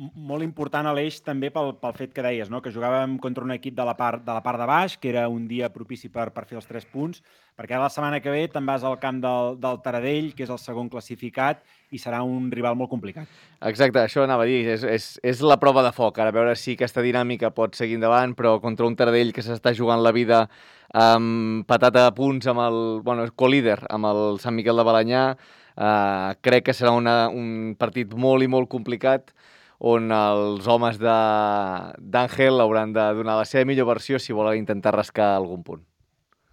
Molt important, Aleix, també pel fet que deies, no? Que jugàvem contra un equip de la part de baix, que era un dia propici per fer els 3 punts, perquè la setmana que ve te'n vas al camp del Taradell, que és el segon classificat, i serà un rival molt complicat. Exacte, això anava a dir, és la prova de foc, ara a veure si aquesta dinàmica pot seguir endavant, però contra un Taradell que s'està jugant la vida empatat a punts amb el co-líder, amb el Sant Miquel de Balenyà, crec que serà un partit molt i molt complicat, on els homes d'Àngel hauran de donar la seva millor versió si volen intentar rascar algun punt.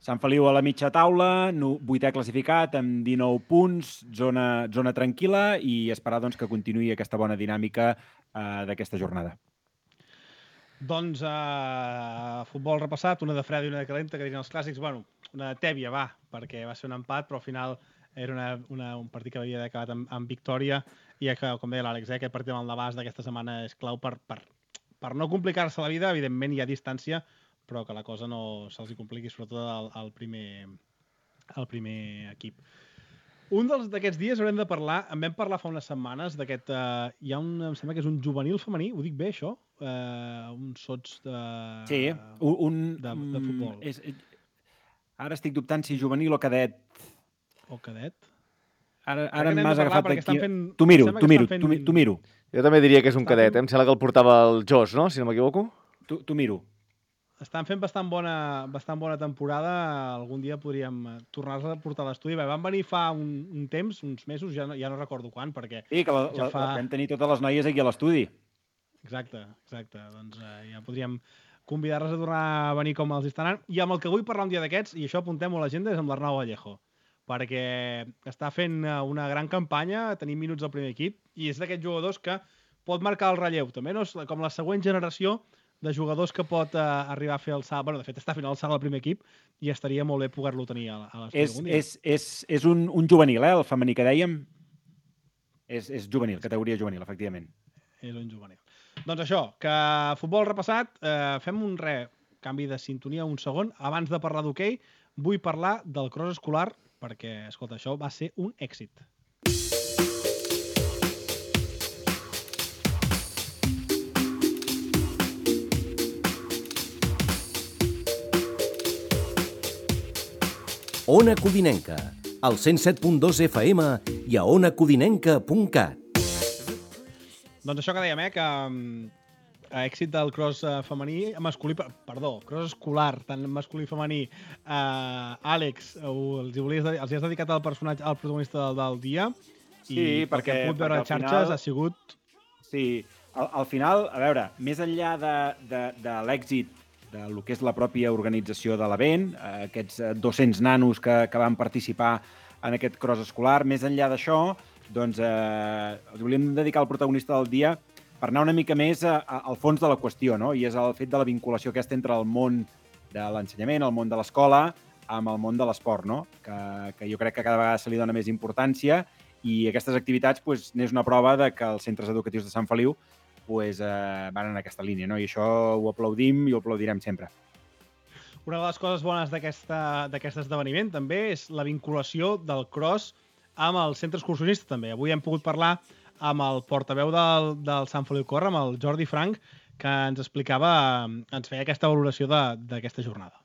Sant Feliu a la mitja taula, 8è classificat amb 19 punts, zona tranquil·la i esperar que continuï aquesta bona dinàmica d'aquesta jornada. Doncs futbol repassat, una de freda i una de calenta, que dirien els clàssics. Bueno, una de tèbia, perquè va ser un empat, però al final era un partit que havia acabat amb victòria i que, com deia l'Àlex, aquest partit amb el Navàs d'aquesta setmana és clau per no complicar-se la vida. Evidentment hi ha distància, però que la cosa no se'ls compliqui, sobretot al primer equip. Un d'aquests dies haurem de parlar, en vam parlar fa unes setmanes, d'aquest... em sembla que és un juvenil femení, ho dic bé, això? Un sots de... Sí, de futbol. Ara estic dubtant si juvenil o cadet. O cadet? Ara m'has agafat aquí... T'ho miro. Jo també diria que és un cadet, em sembla que el portava el Jos, no? Si no m'equivoco. T'ho miro. Estan fent bastant bona temporada. Algun dia podríem tornar-los a portar a l'estudi. Van venir fa un temps, uns mesos, ja no recordo quan, perquè... Sí, que vam tenir totes les noies aquí a l'estudi. Exacte. Doncs ja podríem convidar-les a tornar a venir com els estan anant. I amb el que vull parlar un dia d'aquests, i això apuntem-ho a l'agenda, és amb l'Arnau Vallejo, perquè està fent una gran campanya, tenim minuts al primer equip, i és d'aquests jugadors que pot marcar el relleu. També no és com la següent generació de jugadors que pot arribar a fer el salt. Bueno, de fet, està fent el salt al primer equip i estaria molt bé poder-lo tenir a l'estudi algun dia. És un juvenil, el femení que dèiem. És juvenil, categoria juvenil, efectivament. És un juvenil. Doncs això, que futbol repassat, fem un canvi de sintonia un segon. Abans de parlar d'hoquei, vull parlar del cross escolar, perquè, escolta, això va ser un èxit. Ona Codinenca, al 107.2 FM i a onacodinenca.cat. Doncs això que dèiem, que èxit del cross femení, cross escolar, tant masculí i femení. Àlex, els has dedicat al personatge, al protagonista del dia, i perquè hem pogut veure a xarxes ha sigut... Sí, al final, a veure, més enllà de l'èxit del que és la pròpia organització de l'event, aquests 200 nanos que van participar en aquest cross escolar, més enllà d'això, doncs els volíem dedicar al protagonista del dia per anar una mica més al fons de la qüestió, no? I és el fet de la vinculació aquesta entre el món de l'ensenyament, el món de l'escola, amb el món de l'esport, no? Que jo crec que cada vegada se li dona més importància i aquestes activitats n'és una prova de que els centres educatius de Sant Feliu van en aquesta línia, no? I això ho aplaudim i ho aplaudirem sempre. Una de les coses bones d'aquest esdeveniment també és la vinculació del cross amb el centre excursionista també. Avui hem pogut parlar amb el portaveu del Sant Feliu Corre, amb el Jordi Frank, que ens explicava, ens feia aquesta valoració d'aquesta jornada.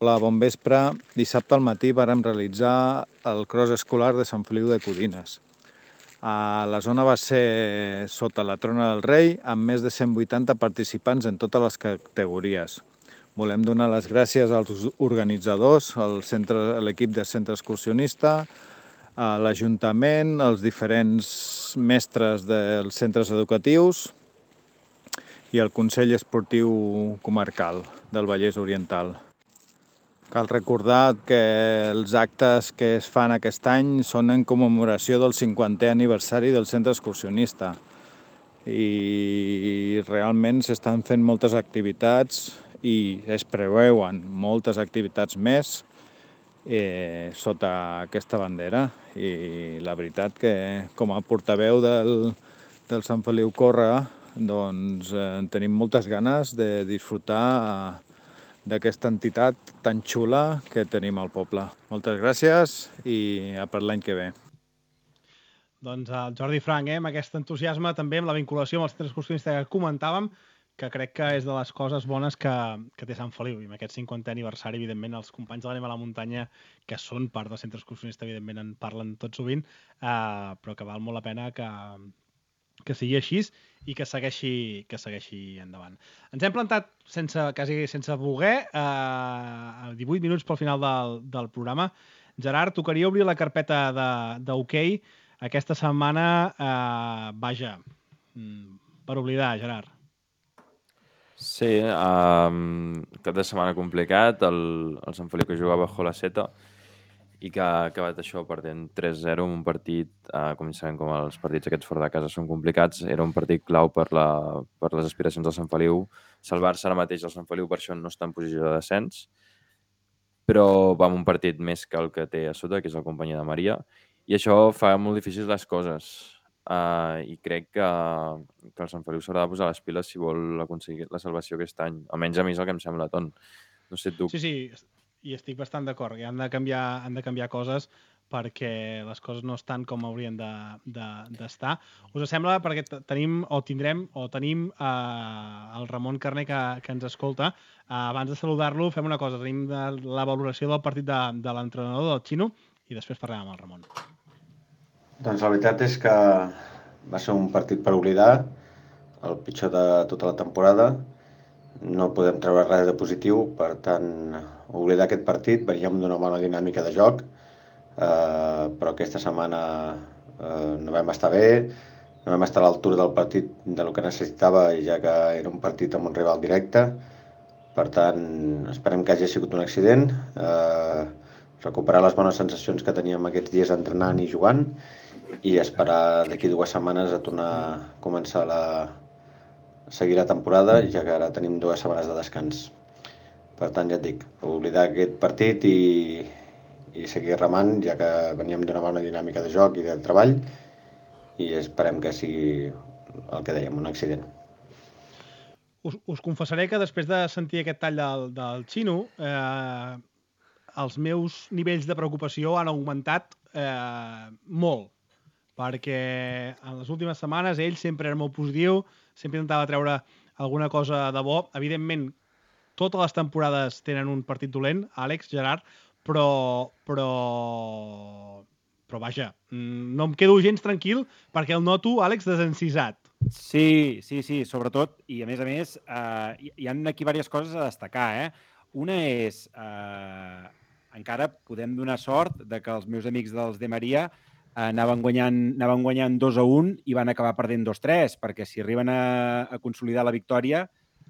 Hola, bon vespre. Dissabte al matí vàrem realitzar el cross escolar de Sant Feliu de Codines. La zona va ser sota la Trona del Rei, amb més de 180 participants en totes les categories. Volem donar les gràcies als organitzadors, a l'equip del centre excursionista, a l'Ajuntament, als diferents mestres dels centres educatius i al Consell Esportiu Comarcal del Vallès Oriental. Cal recordar que els actes que es fan aquest any són en commemoració del 50è aniversari del centre excursionista i realment s'estan fent moltes activitats i es preveuen moltes activitats més sota aquesta bandera. I la veritat que com a portaveu del Sant Feliu Corre doncs tenim moltes ganes de disfrutar d'aquesta entitat tan xula que tenim al poble. Moltes gràcies i a per l'any que ve. Doncs el Jordi Frank, amb aquest entusiasme, també amb la vinculació amb el centre excursionista que comentàvem, que crec que és de les coses bones que té Sant Feliu. I amb aquest 50è aniversari, evidentment, els companys de l'Anem a la Muntanya, que són part del centre excursionista, evidentment, en parlen tot sovint, però que val molt la pena que sigui així i que segueixi endavant. Ens hem plantat quasi sense voler, 18 minuts pel final del programa. Gerard, tocaria obrir la carpeta d'hoquei. Aquesta setmana, vaja, per oblidar, Gerard. Sí, cap de setmana complicat, el Sant Feliu que jugava a la Seta i que ha acabat això perdent 3-0 en un partit, com sabem, com els partits aquests fora de casa són complicats, era un partit clau per les aspiracions del Sant Feliu. Salvar-se ara mateix el Sant Feliu per això no està en posició de descens, però va amb un partit més que el que té a sota, que és la companyia de Maria, i això fa molt difícils les coses. I crec que el Sant Feliu s'haurà de posar les piles si vol aconseguir la salvació aquest any. Almenys a mi és el que em sembla, Ton. No sé tu. Sí, i estic bastant d'acord, que han de canviar coses perquè les coses no estan com haurien d'estar. Us sembla, perquè tenim el Ramon Carné que ens escolta. Abans de saludar-lo, fem una cosa. Tenim la valoració del partit de l'entrenador, del Xino, i després parlem amb el Ramon. Doncs la veritat és que va ser un partit per oblidar, el pitjor de tota la temporada. No podem treure res de positiu, per tant, oblidar aquest partit. Veníem d'una bona dinàmica de joc, però aquesta setmana no vam estar bé, no vam estar a l'altura del partit del que necessitava, ja que era un partit amb un rival directe. Per tant, esperem que hagi sigut un accident, recuperar les bones sensacions que teníem aquests dies entrenant i jugant i esperar d'aquí 2 setmanes a tornar a començar seguir la temporada, ja que ara tenim 2 setmanes de descans. Per tant, ja et dic, oblidar aquest partit i seguir remant, ja que veníem d'una bona dinàmica de joc i de treball, i esperem que sigui el que dèiem, un accident. Us confessaré que després de sentir aquest tall del Xino, els meus nivells de preocupació han augmentat molt, perquè en les últimes setmanes ell sempre era molt positiu, sempre intentava treure alguna cosa de bo. Evidentment, totes les temporades tenen un partit dolent, Àlex, Gerard, però vaja, no em quedo gens tranquil perquè el noto, Àlex, desencisat. Sí, sobretot, i a més, hi ha aquí diverses coses a destacar. Una és, encara podem donar sort de que els meus amics dels de Maria anaven guanyant 2-1 i van acabar perdent 2-3, perquè si arriben a consolidar la victòria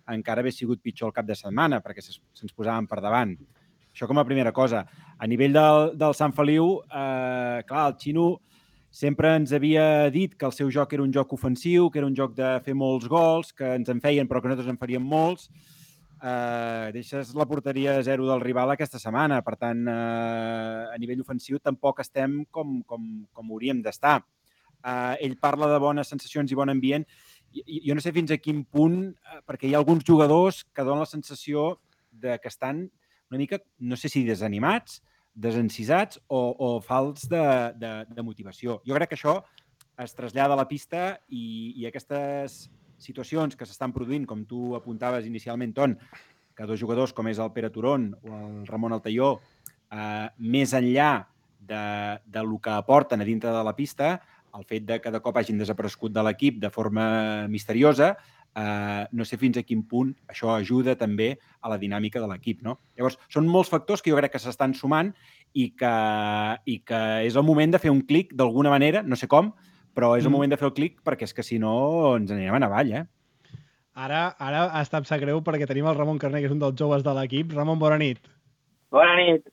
encara hauria sigut pitjor el cap de setmana, perquè se'ns posaven per davant. Això com a primera cosa. A nivell del Sant Feliu, clar, el Xino sempre ens havia dit que el seu joc era un joc ofensiu, que era un joc de fer molts gols, que ens en feien però que nosaltres en faríem molts. Deixes la porteria 0 del rival aquesta setmana. Per tant, a nivell ofensiu tampoc estem com hauríem d'estar. Ell parla de bones sensacions i bon ambient. Jo no sé fins a quin punt, perquè hi ha alguns jugadors que donen la sensació que estan una mica, no sé si desanimats, desencisats o falts de motivació. Jo crec que això es trasllada a la pista i aquestes situacions que s'estan produint, com tu apuntaves inicialment, Ton, que dos jugadors com és el Pere Turón o el Ramon Altaió, més enllà de lo que aporten a dintre de la pista, el fet de que de cop hagin desaparegut de l'equip de forma misteriosa, no sé fins a quin punt això ajuda també a la dinàmica de l'equip, no? Llavors, són molts factors que jo crec que s'estan sumant i que és el moment de fer un clic d'alguna manera, no sé com, però és el moment de fer el clic perquè és que si no ens anirem a avall, Ara està em sap greu perquè tenim el Ramon Carné, que és un dels joves de l'equip. Ramon, bona nit. Bona nit.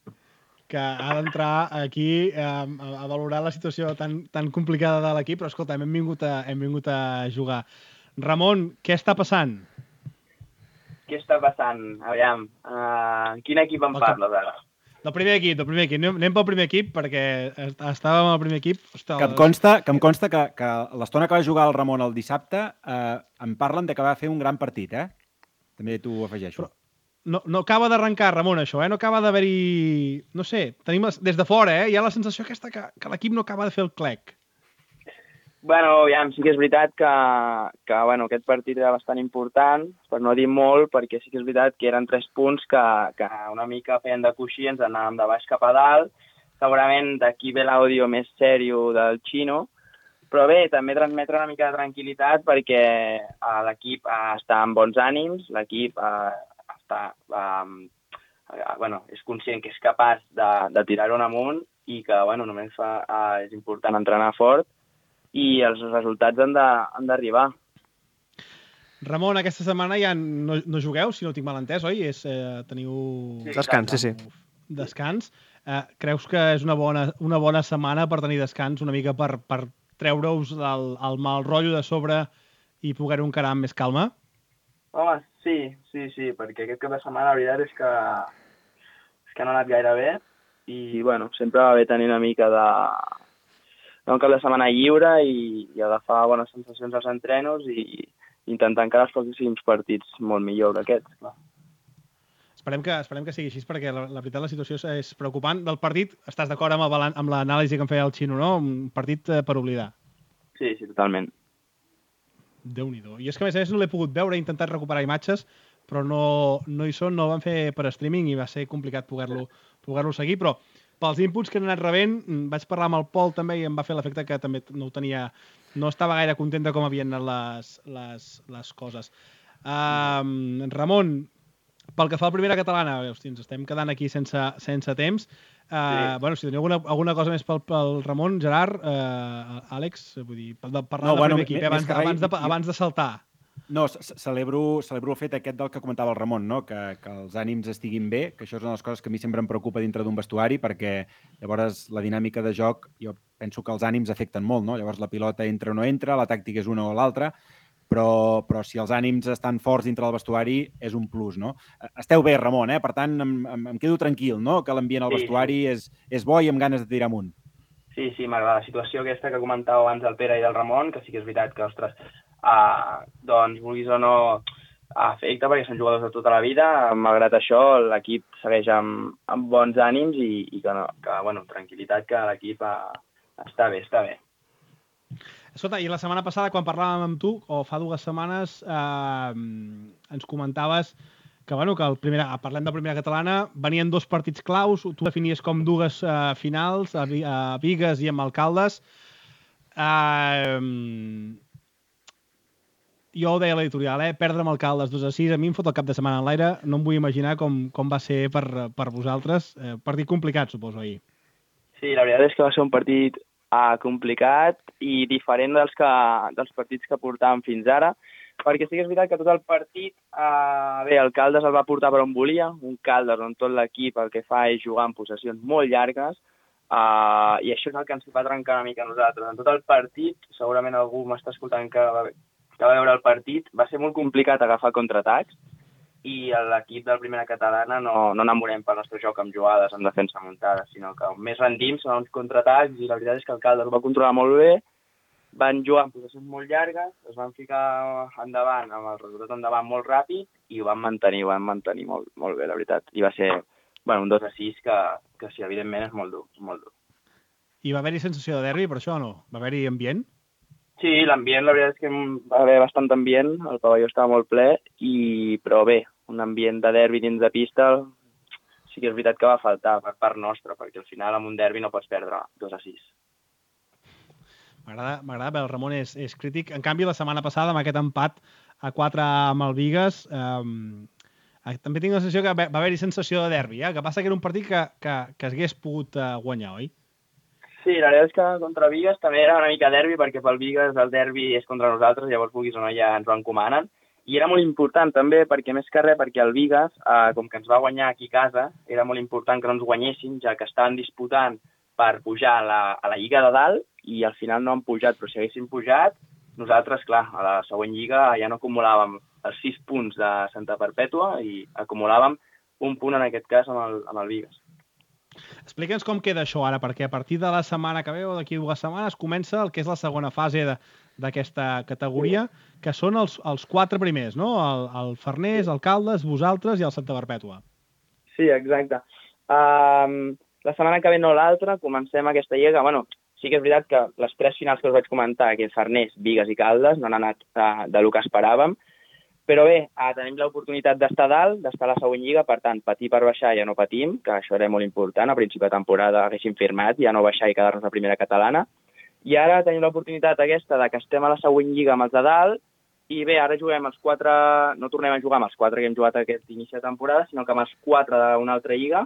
Que ha d'entrar aquí a valorar la situació tan complicada de l'equip, però escolta, hem vingut a jugar. Ramon, què està passant? Què està passant? Aviam, quin equip em parles ara? Del primer equip. Anem pel primer equip, perquè estàvem al primer equip. Ostres, que em consta que l'estona que va jugar el Ramon el dissabte em parlen de que va fer un gran partit, També t'ho afegeixo. Però no acaba d'arrencar, Ramon, això, No acaba d'haver-hi... No sé, tenim des de fora, Hi ha la sensació aquesta que l'equip no acaba de fer el clec. Bueno, aviam, sí que és veritat que aquest partit era bastant important, per no dir molt, perquè sí que és veritat que eren 3 punts que una mica feien de coixí, ens anàvem de baix cap a dalt. Segurament d'aquí ve l'àudio més sèrio del Xino, però bé, també transmetre una mica de tranquil·litat perquè l'equip està amb bons ànims, l'equip és conscient que és capaç de tirar-ho amunt i que només és important entrenar fort i els resultats han d'arribar. Ramon, aquesta setmana ja no jugueu, si no tinc mal entès, oi? Teniu... Descans, sí. Descans. Creus que és una bona setmana per tenir descans, una mica per treure-us el mal rotllo de sobre i poder-ho encarar amb més calma? Home, sí, perquè aquest cap de setmana la veritat és que no ha anat gaire bé i, sempre va bé tenir una mica un cap de setmana lliure i agafar bones sensacions als entrenos i intentar encara els pròxims partits molt millor que aquests, clar. Esperem que sigui així, perquè la veritat la situació és preocupant. Del partit, estàs d'acord amb l'anàlisi que em feia el Xino, no? Un partit per oblidar. Sí, totalment. Déu-n'hi-do. I és que, a més, no l'he pogut veure, he intentat recuperar imatges, però no hi són, no ho van fer per streaming i va ser complicat poder-lo seguir, però pels inputs que han anat rebent, vaig parlar amb el Pol també i em va fer l'efecte que també no estava gaire content de com havien anat les coses. Ramon, pel que fa a la primera catalana, ens estem quedant aquí sense temps. Si teniu alguna cosa més pel Ramon, Gerard, Àlex, vull dir, parlar del primer equip, abans de saltar. No, celebro el fet aquest del que comentava el Ramon, no? Que els ànims estiguin bé, que això és una de les coses que a mi sempre em preocupa dintre d'un vestuari, perquè llavors la dinàmica de joc, jo penso que els ànims afecten molt, no? Llavors la pilota entra o no entra, la tàctica és una o l'altra, però si els ànims estan forts dintre del vestuari és un plus, no? Esteu bé, Ramon, Per tant, em quedo tranquil, no? Que l'ambient al vestuari és bo i amb ganes de tirar amunt. Sí, m'agrada la situació aquesta que comentava abans el Pere i el Ramon, que sí que és veritat que, ostres, vulguis o no, afecta perquè són jugadors de tota la vida. Malgrat això, l'equip segueix amb bons ànims i tranquil·litat, que l'equip està bé. Escolta, i la setmana passada, quan parlàvem amb tu, o fa 2 setmanes, ens comentaves que parlem de primera catalana, venien 2 partits claus, tu definies com 2 finals, a Bigues i amb Alcaldes. Jo ho deia a l'editorial, perdre amb Alcaldes 2-6, a mi em fot el cap de setmana en l'aire, no em vull imaginar com va ser per vosaltres. Partit complicat, suposo, ahir. Sí, la veritat és que va ser un partit complicat i diferent dels partits que portàvem fins ara, perquè sí que és veritat que tot el partit, el Caldes el va portar per on volia, un Caldes on tot l'equip el que fa és jugar en possessions molt llargues, i això és el que ens va trencar una mica a nosaltres. En tot el partit, segurament algú m'està escoltant que va veure el partit, va ser molt complicat agafar contraatacs, i l'equip de la primera catalana no enamorem pel nostre joc amb jugades en defensa muntada, sinó que més rendim són uns contraatacs, i la veritat és que el Caldes ho va controlar molt bé, van jugar en possessions molt llargues, es van ficar endavant, amb el resultat endavant molt ràpid, i ho van mantenir molt, molt bé, la veritat. I va ser un 2-6 que sí, evidentment és molt dur, molt dur. I va haver-hi sensació de derbi, per això o no? Va haver-hi ambient? Sí, l'ambient, la veritat és que va haver bastant ambient, el pavelló estava molt ple, però bé, un ambient de derbi dins de pista, sí que és veritat que va faltar per part nostra, perquè al final amb un derbi no pots perdre 2-6. M'agrada, el Ramon és crític. En canvi, la setmana passada, amb aquest empat a 4 amb el Bigues, també tinc la sensació que va haver-hi sensació de derbi, que passa que era un partit que s'hagués pogut guanyar, oi? Sí, la veritat és que contra Bigues també era una mica derbi, perquè pel Bigues el derbi és contra nosaltres, llavors vulguis o no ja ens ho encomanen. I era molt important també, perquè més que res, perquè el Bigues, com que ens va guanyar aquí a casa, era molt important que no ens guanyessin, ja que estaven disputant per pujar a la Lliga de dalt, i al final no han pujat, però si haguessin pujat, nosaltres, clar, a la següent Lliga ja no acumulàvem els 6 punts de Santa Perpètua i acumulàvem un punt, en aquest cas, amb el Bigues. Explica'ns com queda això ara, perquè a partir de la setmana que ve o d'aquí 2 setmanes comença el que és la segona fase d'aquesta categoria, que són els 4 primers, no? El Farners, el Caldes, vosaltres i el Santa Perpètua. Sí, exacte. La setmana que ve no l'altra, comencem aquesta lliga. Bueno, sí que és veritat que les 3 finals que us vaig comentar, que és Farners, Bigues i Caldes, no han anat del que esperàvem. Però bé, tenim l'oportunitat d'estar dalt, d'estar a la següent lliga, per tant, patir per baixar ja no patim, que això era molt important. A principi de temporada haguéssim firmat ja no baixar i quedar-nos a primera catalana. I ara tenim l'oportunitat aquesta de que estem a la següent lliga amb els de dalt, i bé, ara juguem els 4, no tornem a jugar amb els 4 que hem jugat aquest inici de temporada, sinó que amb els 4 d'una altra lliga,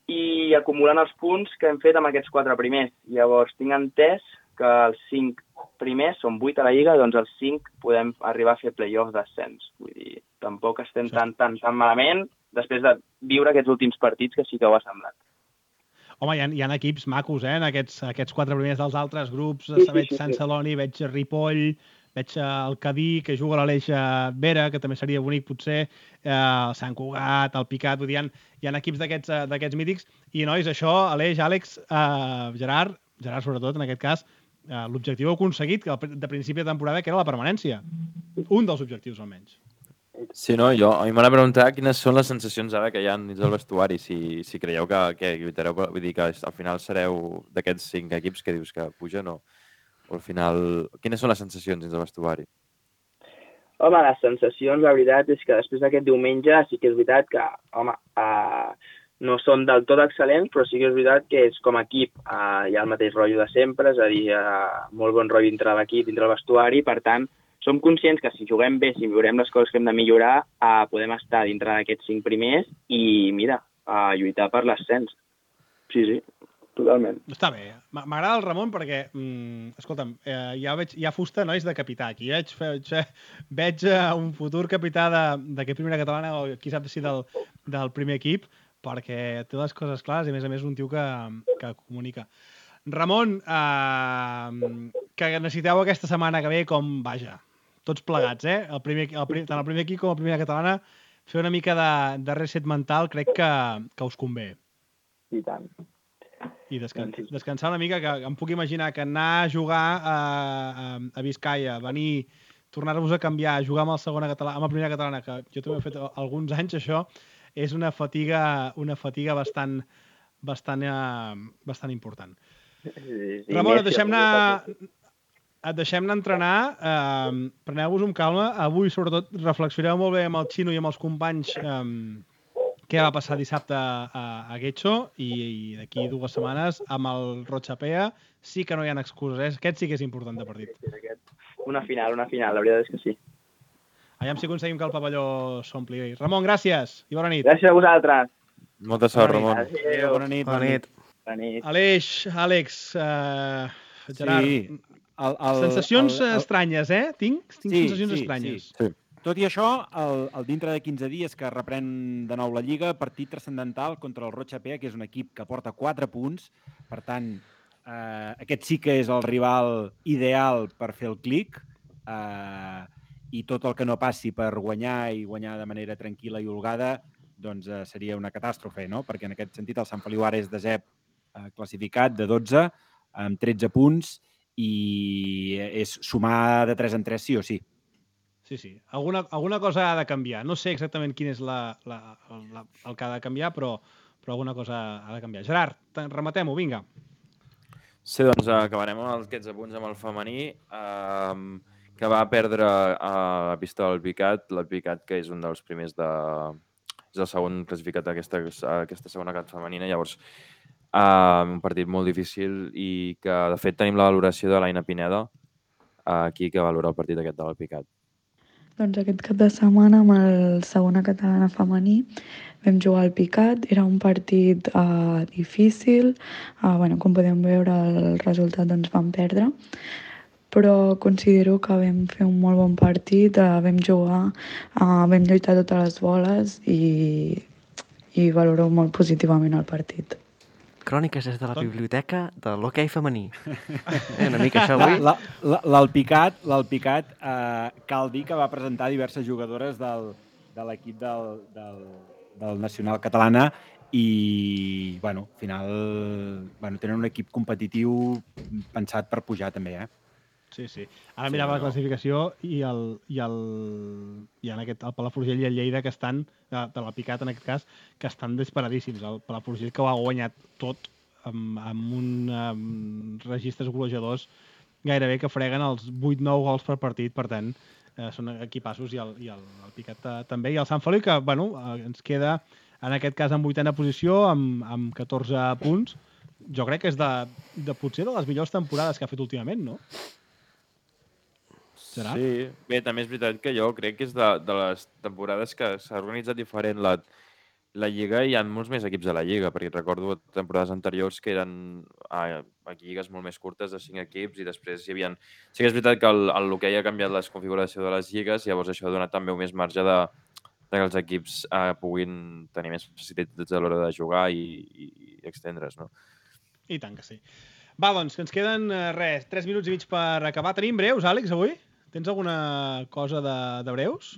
i acumulant els punts que hem fet amb aquests 4 primers. Llavors, tinc entès que els 5 primers, són 8 a la Lliga, doncs els 5 podem arribar a fer play-off d'ascens. Vull dir, tampoc estem tan malament després de viure aquests últims partits, que sí que ho ha semblat. Home, hi ha equips macos, en aquests 4 primers dels altres grups. Veig Sant Celoni, veig Ripoll, veig el Cadí, que juga a l'Aleix Vera, que també seria bonic, potser, el Sant Cugat, el Picat, vull dir, hi ha equips d'aquests mítics. I, nois, això, Aleix, Àlex, Gerard sobretot, en aquest cas, l'objectiu aconseguit de principi de temporada, que era la permanència. Un dels objectius, almenys. Sí, no, a mi m'han de preguntar quines són les sensacions ara que hi ha dins del vestuari, si creieu que lluitareu, vull dir que al final sereu d'aquests 5 equips que dius que pugen o al final... Quines són les sensacions dins del vestuari? Home, les sensacions, la veritat, és que després d'aquest diumenge sí que és veritat que, home, no són del tot excel·lents, però sí que és veritat que és com a equip hi ha el mateix rotllo de sempre, és a dir, molt bon rotllo dintre l'equip, dintre el vestuari, per tant, som conscients que si juguem bé, si veurem les coses que hem de millorar, podem estar dintre d'aquests 5 primers i, mira, lluitar per l'ascens. Sí, totalment. Està bé. M'agrada el Ramon perquè, escolta'm, hi ha fusta, nois, de capità. Aquí veig un futur capità d'aquest primera catalana, o qui sap si del primer equip, perquè té les coses clares i, a més, un tio que comunica. Ramon, que necessiteu aquesta setmana que ve com, vaja, tots plegats, tant el primer equip com la primera catalana, fer una mica de reset mental crec que us convé. I tant. I descansar una mica, que em puc imaginar que anar a jugar a Vizcaya, venir, tornar-vos a canviar, jugar amb la primera catalana, que jo també he fet alguns anys, això és una fatiga bastant important. Ramon, et deixem anar a entrenar, preneu-vos amb calma. Avui, sobretot, reflexioneu molt bé amb el Xino i amb els companys què va passar dissabte a Getxo, i d'aquí 2 setmanes amb el Rotxapea sí que no hi ha excuses. Aquest sí que és important de partit. Una final, la veritat és que sí. Aviam si aconseguim que el pavelló s'ompli. Ramon, gràcies i bona nit. Gràcies a vosaltres. Molta sort, Ramon. Adéu. Bona nit. Aleix, Àlex, Gerard, sensacions estranyes, Tinc sensacions estranyes. Sí. Tot i això, el dintre de 15 dies que reprèn de nou la Lliga, partit transcendental contra el Rotxapea, que és un equip que porta 4 punts. Per tant, aquest sí que és el rival ideal per fer el clic, i tot el que no passi per guanyar i guanyar de manera tranquil·la i holgada, doncs seria una catàstrofe, no? Perquè en aquest sentit el Sant Feliu ara és 10è classificat de 12, amb 13 punts, i és sumar de 3 en 3 sí o sí. Sí. Alguna cosa ha de canviar. No sé exactament quin és el que ha de canviar, però alguna cosa ha de canviar. Gerard, rematem-ho, vinga. Sí, doncs acabarem amb aquests apunts amb el femení. que va perdre a la pista del Picat, l'Alpicat, que és un dels primers és el segon classificat d'aquesta segona cat femenina, llavors un partit molt difícil i que, de fet, tenim la valoració de l'Aina Pineda aquí, que valora el partit aquest de l'Alpicat. Doncs aquest cap de setmana amb el segona catalana femení vam jugar al Picat, era un partit difícil, com podem veure el resultat doncs vam perdre, però considero que vam fer un molt bon partit, vam jugar, vam lluitar totes les boles i valoro molt positivament el partit. Cròniques des de la biblioteca de l'hoquei femení. Una mica això avui. L'Alpicat, cal dir que va presentar diverses jugadores de l'equip del Nacional Catalana i, al final, tenen un equip competitiu pensat per pujar també, Sí. Ara mirava la classificació i en aquest, el Palafrugell i el Lleida, que estan, de l'Alpicat en aquest cas, que estan disparadíssims. El Palafrugell, que ho ha guanyat tot amb un registres golejadors gairebé que freguen els 8-9 gols per partit, per tant, són equipassos i el Picat també. I el Sant Feliu, que ens queda, en aquest cas, en 8a posició, amb 14 punts. Jo crec que és potser de les millors temporades que ha fet últimament, no? Serà? Sí, bé, també és veritat que jo crec que és de les temporades que s'ha organitzat diferent la Lliga i hi ha molts més equips a la Lliga, perquè recordo temporades anteriors que eren lligues molt més curtes de 5 equips i després hi havia... Sí que és veritat que l'hoquei ha canviat la configuració de les lligues, llavors això ha donat també un més marge que els equips puguin tenir més facilitats a l'hora de jugar i extendre's, no? I tant que sí. Va, doncs, que ens queden 3 minuts i mig per acabar. Tenim breus, Àlex, avui? Tens alguna cosa de breus?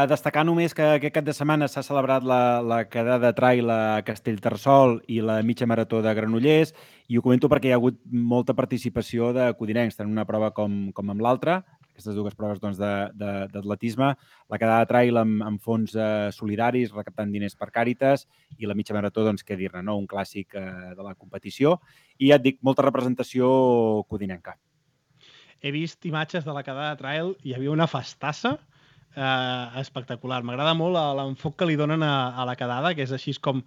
Destacar només que aquest cap de setmana s'ha celebrat la quedada trail a Castellterçol i la mitja marató de Granollers, i ho comento perquè hi ha hagut molta participació de codinencs, tant una prova com amb l'altra, aquestes dues proves d'atletisme, la quedada trail amb fons solidaris, recaptant diners per Càritas, i la mitja marató, doncs, què dir-ne, no? Un clàssic de la competició, i ja et dic, molta representació codinenca. He vist imatges de la quedada trail, hi havia una festassa espectacular. M'agrada molt l'enfoc que li donen a la quedada, que és així com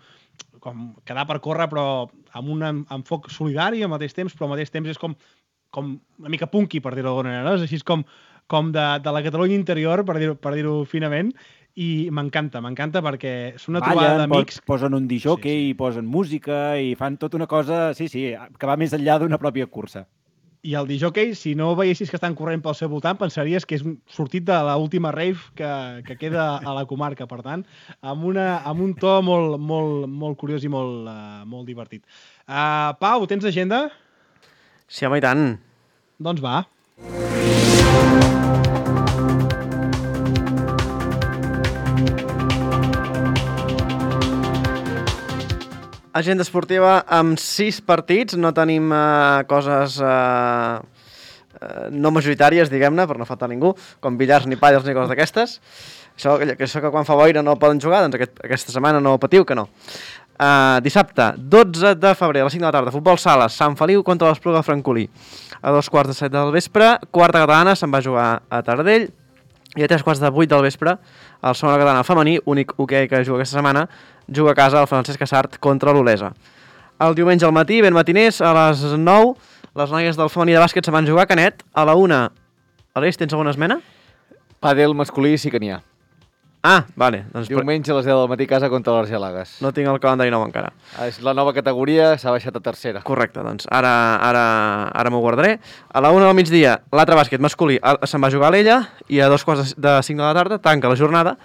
quedar per córrer, però amb un enfoc solidari al mateix temps, però al mateix temps és com una mica punky, per dir-ho d'alguna manera, no? És així com de la Catalunya interior, per dir-ho finament, i m'encanta perquè és una trobada d'amics. Posen un disjockey, posen música i fan tota una cosa, sí, que va més enllà d'una pròpia cursa. I el disjockey, si no veiessis que estan corrent pel seu voltant, pensaries que és sortit de l'última rave que queda a la comarca. Per tant, amb un to molt curiós i molt divertit. Pau, tens agenda? Sí, home, i tant. Doncs va. Agenda esportiva amb 6 partits, no tenim coses no majoritàries, diguem-ne, per no faltar ningú, com billars ni pàdels ni coses d'aquestes. Això que quan fa boira no poden jugar, doncs aquesta setmana no patiu que no. Dissabte, 12 de febrer, a les 5 de la tarda, futbol sala, Sant Feliu contra l'Espluga de Francolí. A 2:45 del vespre, quarta catalana, se'n va jugar a Taradell, i a 3:45 del vespre, el segona catalana femení, únic hoquei que juga aquesta setmana, juga a casa el Francesc Casart contra l'Olesa. El diumenge al matí, ben matiners, a les 9, les noies del femení de bàsquet se van jugar a Canet. A la 1, Aleix, tens alguna esmena? Pàdel masculí sí que n'hi ha. Ah, vale. Doncs diumenge a les 10 del matí a casa contra l'Argelagues. No tinc el calendari nou encara. És la nova categoria, s'ha baixat a tercera. Correcte, doncs ara m'ho guardaré. A la 1 del migdia, l'altre bàsquet masculí se'n va jugar a l'Ella, i a 2:45 de la tarda tanca la jornada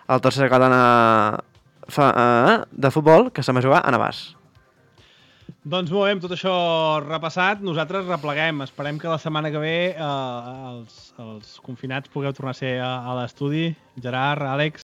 el tercer catalana de futbol que se'n va jugar a Navàs. Doncs molt bé, amb tot això repassat, nosaltres repleguem. Esperem que la setmana que ve els confinats pugueu tornar a ser a l'estudi. Gerard, Àlex,